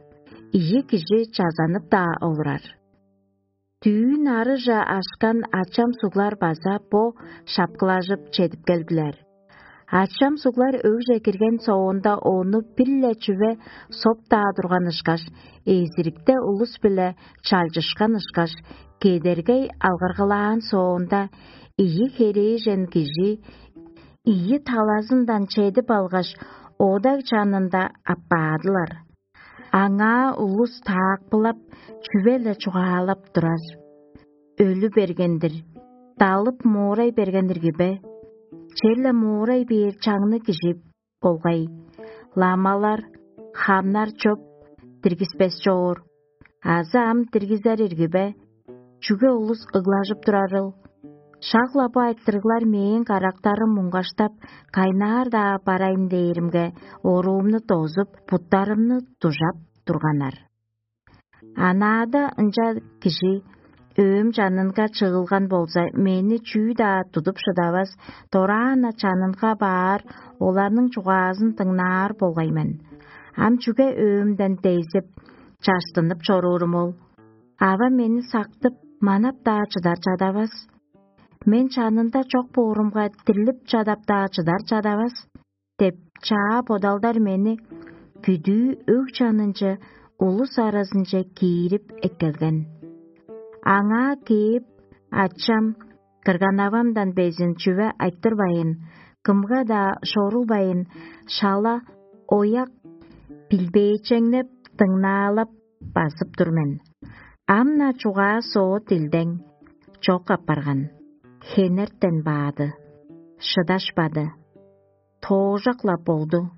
Ийи кижи чазанып-даа олурар. Дүүн арыже ашкан ачам суглар база бо шапкылажып чедип келдилер. Ачам суглар өгже кирген соонда, ону бир-ле чүве соп-даа турган ышкаш, эзирикте улус-биле чалчышкан ышкаш, кедергей алгыргылаан соонда, ийи херээжен кижи ийи талазындан чедип алгаш, одаг чанында аппаадылар. Аңаа улус таакпылап, чүве-ле чугаалап турар: «Өлү берген-дир, далып моорай берген ирги бе? Черле моорай бээр чаңныг кижи болгай. Ламалар, хамнар чоп, диргиспес чоор. Азы ам диргизер ирги бе? Чүге улус ыглажып турарыл?» Шак-ла бо айтырыглар мээң карактарым муңгаштап, кайнаар-даа барайын дээримге, оруумну дозуп, буттарымны дужап турганнар. Анаада ынча кижи өөм чанынга чыгылган болза, мени чүү-даа тудуп шыдавас, дораан-на чанынга баар, оларның чугаазын дыңнаар болгай мен. Ам чүге өөмден дезип, чаштынып чоруурум ол? Ава мени сактып, манап-даа чыдар чадавас. Мен чанында чок боорумга, дирлип чадап-даа чыдар чадавас деп, чаа бодалдар мени бүдүү өг чанынче, улус аразынче киирип эккелген. Аңаа кээп, ачам, кырган-авамдан безин чүве айтырбайн, кымга-даа шорулбайн, шала, ояк, билбээчеңнеп, дыңнаалап базып тур мен. Ам-на чугаа-соо дилдең чок апарган, хенертен баады, шыдашпады, тоожак-ла болду.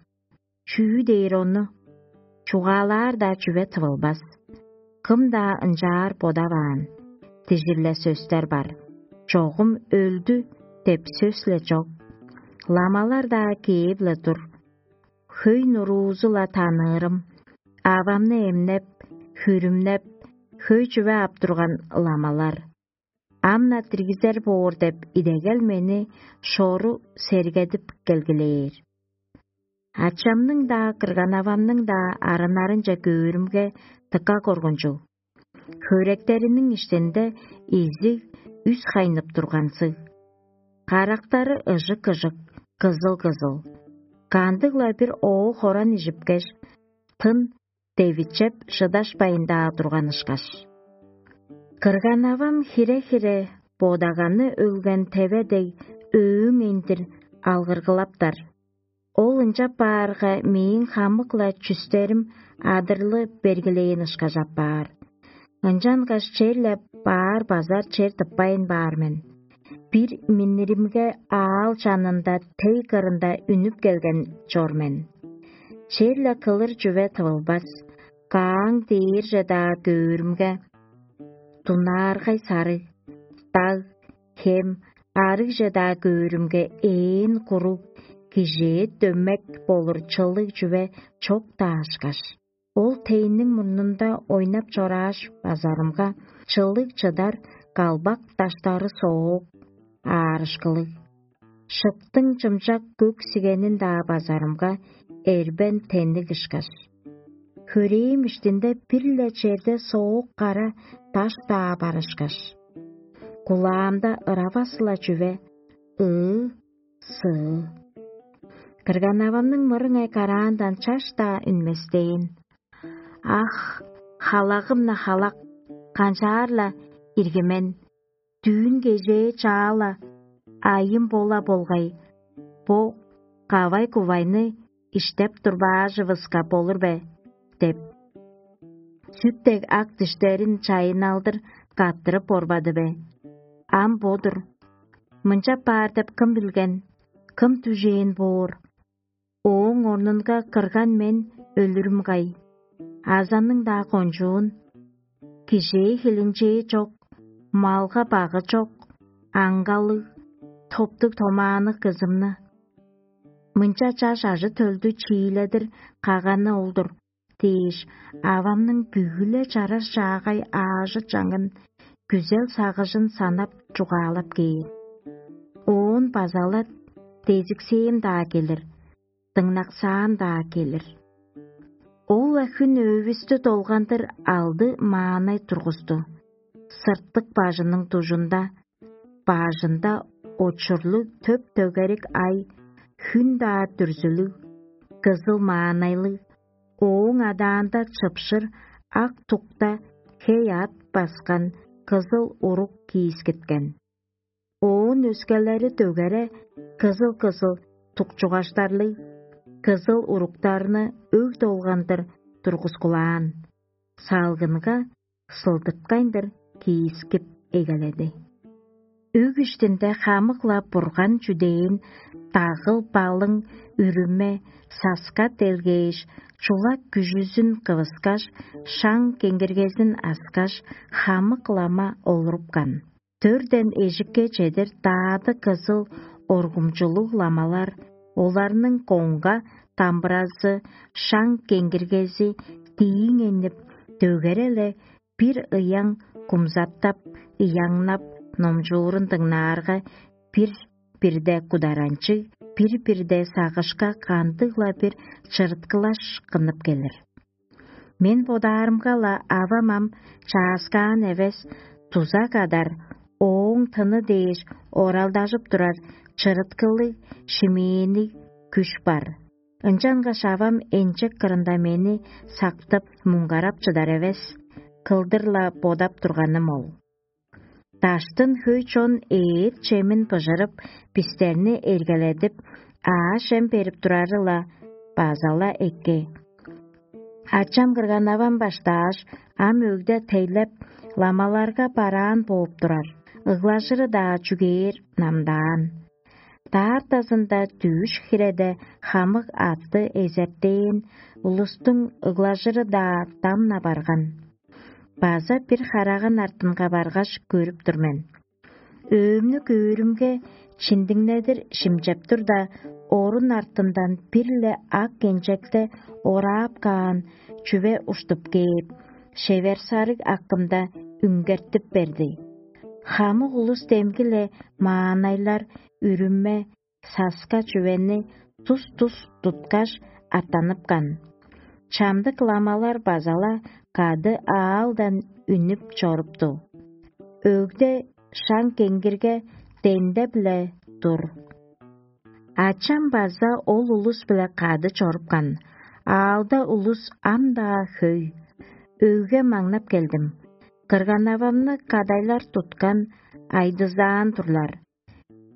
Чүү дээр ону? Чугаалаар-даа чүве тывылбас. Кым-даа ынчаар бодаваан. Дижир-ле сөстер бар: «Чогум өлдү» деп сөс-ле чок. Ламалар-даа кээп-ле тур. Хөй нуруузу-ла таныырым. Авамны эмнеп, хүрүмнеп, хөй чүве ап турган ламалар. Ам-на диргизер боор деп идегел мени шору сергедип келгилээр. Ачамның-даа, кырган-авамның-даа арыннарынче көөрүмге, дыка коргунчуг. Хөректериниң иштинде изиг үс хайнып тургансыг. Карактары ыжык-ыжык, кызыл-кызыл. Кандыг-ла бир оо хоран ижипкеш, тын девичеп шыдашпайн-даа турган ышкаш. Кырган-авам хире-хире бодаганы өлген теве дег өөң эндир алгыргылаптар. Ол ынчап баарга, мээң хамык-ла чүстерим адырлы бергилээн ышкаш апаар. Ынчангаш черле баар базар чер тыппайн баар мен. Бир минниримге аал чанында тей кырында үнүп келген чор мен. Черле кылыр чүве тывылбас, кааң дээрже-даа көөрүмге, дунааргай сарыг, даг, хем, арыгже-даа көөрүмге, ээн куруг, кижээ дөмек болур чылыг чүве чок-даа ышкаш. Ол тейниң мурнунда ойнап чорааш базарымга, чылыг чыдар калбак даштары соок, аарышкылыг. Шыптың чымчак көк сигенин-даа базарымга, эрбен тенниг ышкаш. Хөрээм иштинде бир-ле черде соок кара даш-даа бар ышкаш. Кулаамда ыравас-ла чүве: ыы, сыы. Кырган-авамның мырыңай караандан чаш-даа үнместээн. Ах, халагым-на халак, канчаар-ла иргимен, дүүн кежээ чаала айым бола болгай, бо кавай-кувайны иштеп турбаажывыска болур бе? — деп, сүт дег ак диштерин чайынналдыр каттырып борбады бе? Ам бо-дур. Мынчап баар деп кым билген, кым дүжээн боор? Ооң орнунга кырган мен өлүрүм кай? Азанның-даа кончуун, кижээ хилинчээ чок, малга багы чок, аңгалыг, топтуг-томаанныг кызымны, мынча чаш ажы-төлдү чииледир каганы ол-дур дээш, авамның бүгү-ле чараш чаагай аажы-чаңын, күзел-сагыжын санап чугаалап кээр. Оон база-ла дезиксээм-даа келир, дыңнаксаан-даа келир. Ол-ла хүн өөвүстү долгандыр алды маанай тургусту. Сыртык бажының дужунда, бажында очурлуг төп-төгерик ай, хүн-даа дүрзүлүг, кызыл маанайлыг, ооң адаанда чыпшыр ак тукта хей аът баскан кызыл уруг киискиткен. Оон өскелери дөгере кызыл-кызыл тукчугаштарлыг, кызыл уруктарны өг долгандыр тургускулаан, салгынга сылдыткайндыр киискип эгеледи. Өг иштинде хамык-ла бурган чүдээн, дагыл-балың, үрүме, саска делгээш, чулак күжүзүн кывыскаш, шаң кеңгиргезин аскаш, хамык лама олурупкан. Дөрден эжикке чедир даады кызыл оргумчулуг ламалар, оларның коңга дамбыразы, шаң кеңгиргези дииң эннип, дөгере-ле бир ыяң кумзаттап, ыяңнап, номчуурун дыңнаарга, бир-бирде кударанчыг, бир-бирде сагышка кандыг-ла бир чырыткылаш кынып келир. Мен бодаарымга-ла, авам ам чааскаан эвес, дуза кадар, ооң тыны дээш оралдажып турар чырыткылыг, шимээник күш бар. Ынчангаш авам энчек кырында мени сактып, муңгарап чыдар эвес, кылдыр-ла бодап турганым ол. Даштын хөй чон эът чемин быжырып, бистерни эргеледип, аъш-чем берип турары-ла база-ла эки. Ачам кырган-авам баштааш, ам өгде тейлеп, ламаларга бараан бооп турар, ыглажыры-даа чүгээр намдаан. Даартазында дүъш хиреде хамык атты эзертээн, улустуң ыглажыры-даа дам-на барган. База бир хараган артынга баргаш көрүп тур мен. Өөмнү көөрүмге, Шиндиңнедир шимчеп турда, орун артындан бир-ле ак кенчекте ораап каан чүве уштуп кээп, шевер-сарыг акымда үңгертип берди. Хамык улус демги-ле маанайлар, үрүме, саска чүвени тус-тус туткаш, аттаныпкан. Чамдык ламалар база-ла кады аалдан үнүп чорупту. Өгде шаң кеңгирге дендеп-ле тур. Ачам база ол улус-биле кады чорупкан. Аалда улус ам-даа хөй. Өгге маңнап келдим. Кырган-авамны кадайлар туткан, айдызаан турлар.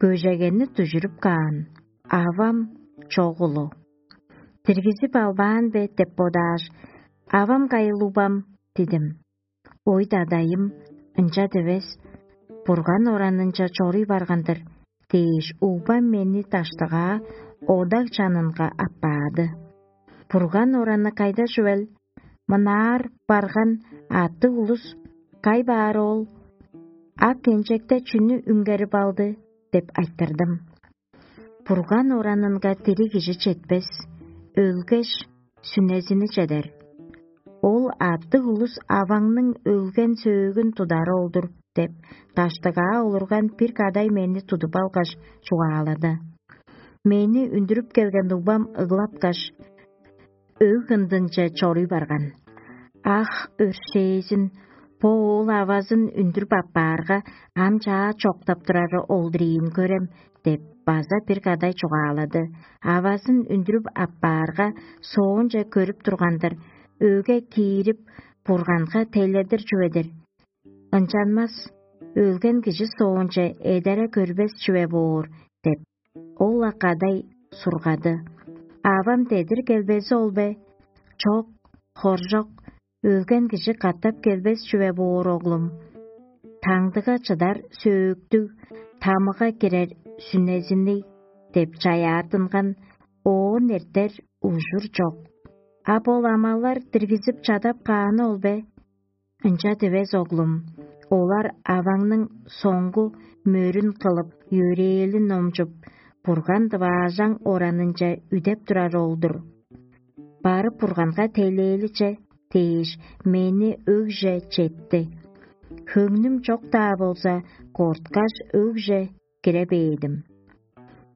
Көжегени дүжүрүп каан. Авам чогулу. «Диргизип албаан бе?» — деп бодааш, «Авам кайыл, угбам?» — дидим. «Ой, дадайым, ынча дивес, Бурган оранынча чоруй барган-дыр» — дээш, угбам мени даштыгаа одаг чанынга аппаады. «Бурган ораны кайда чүвел? Мынаар барган аттыг улус кай баар ол? Ак кенчекте чүнү үңгерип алды?» — деп айтырдым. «Бурган оранынга дириг кижи четпес, өлгеш, сүнезини чедер. Ол аттыг улус аваңның өлген сөөгүн тудары ол-дур» — деп, даштыгаа олурган бир кадай мени тудуп алгаш, чугаалады. Мени үндүрүп келген угбам ыглапкаш, өг ындынче чоруй барган. «Ах, өршээзин, бо оол авазын үндүрүп аппаарга, ам чаа чоктап турары ол-дур ийин, көрем» — деп, база бир кадай чугаалады. Авазын үндүрүп аппаарга, соонче көрүп турган-дыр, өге киирип, Бурганга тейледир чүве-дир. «Ынчанмас, өлген кижи соонче эдере көрбес чүве боор» — деп, ол-ла кадай сургады. Авам: «Дедир келбези ол бе?» «Чок, хоржок, өлген кижи катап келбес чүве боор, оглум. Таңдыга чыдар сөөктүг, тамыга кирер сүнезинниг» — деп чаяаттынган, оон эртер ужур чок. «А бо ламалар диргизип чадап кааны ол бе?» «Ынча дивес, оглум. Олар аваңның соңгу мөрүн кылып, йөрээлин номчуп, Бурган-дываажаң оранынче үдеп турар ол-дур. Барып Бурганга тейлээличе» — дээш, мени өгже четти. Хөңнүм чок-даа болза, корткаш, өгже кире бээдим.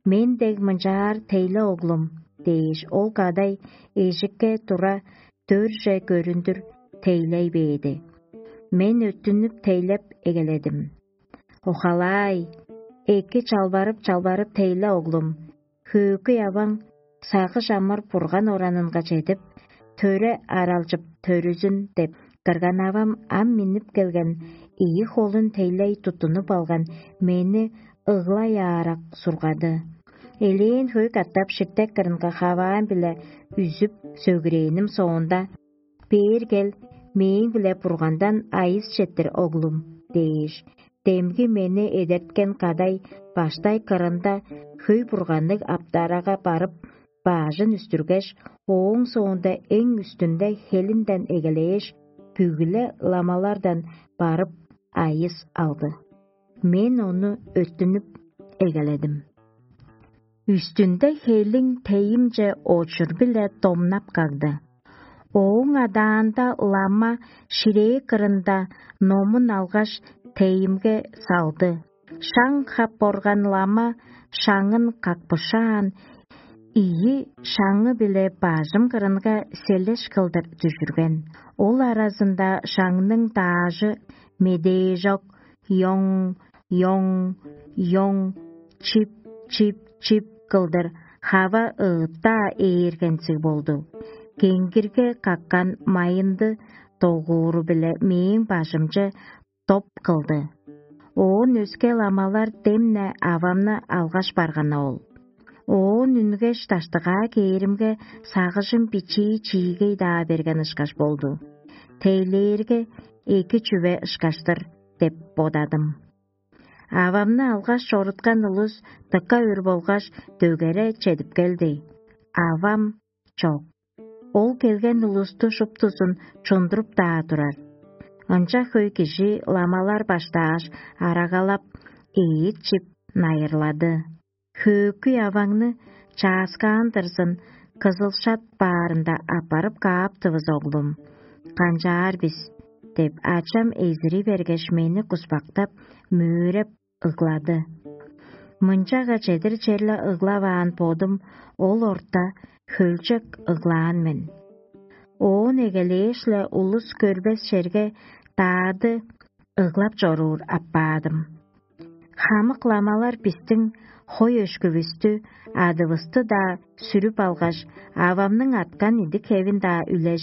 «Мен дег мынчаар тейле, оглум» — дээш, ол кадай эжикке тура, дөрже көрүндүр тейлей бээди. Мен өттүнүп тейлеп эгеледим. «Охалаай, эки чалбарып-чалбарып тейле, оглум. Хөөкүй аваң сагыш амыр Бурган оранынга чедип, төре аралчып төрүзүн» — деп, кырган-авам ам миннип келген, ийи холун тейлей туттунуп алган мени ыглай аарак сургады. Элээн хөй катап ширтек кырынга хаваан-биле үзүп сөгүрээним соонда: «Бээр кел, мээң-биле Бургандан айыс четтир, оглум» — дээш, демги мени эдерткен кадай баштай кырында хөй бурганныг аптарага барып, баажын үстүргеш, ооң соонда эң үстүнде хелинден эгелээш, бүгү-ле ламалардан барып, айыс алды. Мен ону өттүнүп эгеледим. Үстүнде хелиң тейимче очур-биле домнап кагды. Ооң адаанда лама ширээ кырында номун алгаш, тейимге салды. Шаң хап орган лама шаңын какпышаан, ийи шаңы-биле бажым кырынга селеш кылдыр дүжүрген. Ол аразында шаңның даажы медээжок, йоң, йоң, йоң, чип, чип, чип кылдыр хава ыыттаа ээргензиг болду. Кеңгирге каккан майынды догууру-биле мээң бажымче доп кылды. Оон өске ламалар демне авамны алгаш барган ол. Оон үнгеш, даштыгаа кээримге, сагыжым бичии чиигей-даа берген ышкаш болду. Тейлээрге эки чүве ышкаш-тыр деп бодадым. Авамны алгаш чоруткан улус дыка өр болгаш, дөгере чедип келди. Авам чок. Ол келген улусту шуптузун чундуруп-даа турар. Ынча хөй кижи ламалар баштааш, арагалап, эът чип, найырлады. Хөөкүй аваңны чааскаан-дырзын кызылшат баарында аппарып кааптывыс, оглум. Канчаар бис? — деп, ачам эзири бергеш, мени куспактап, мөөрэп ыглады. Мынчага чедир черле ыглаваан бодум ол орта хөлчек ыглаан мен. Оон эгелээш-ле улус көрбес черге даады ыглап чоруур аппаадым. Хамык ламалар бистиң хой өшкүвүстү, адывысты-даа сүрүп алгаш, авамның аткан идик-хевин-даа үлеже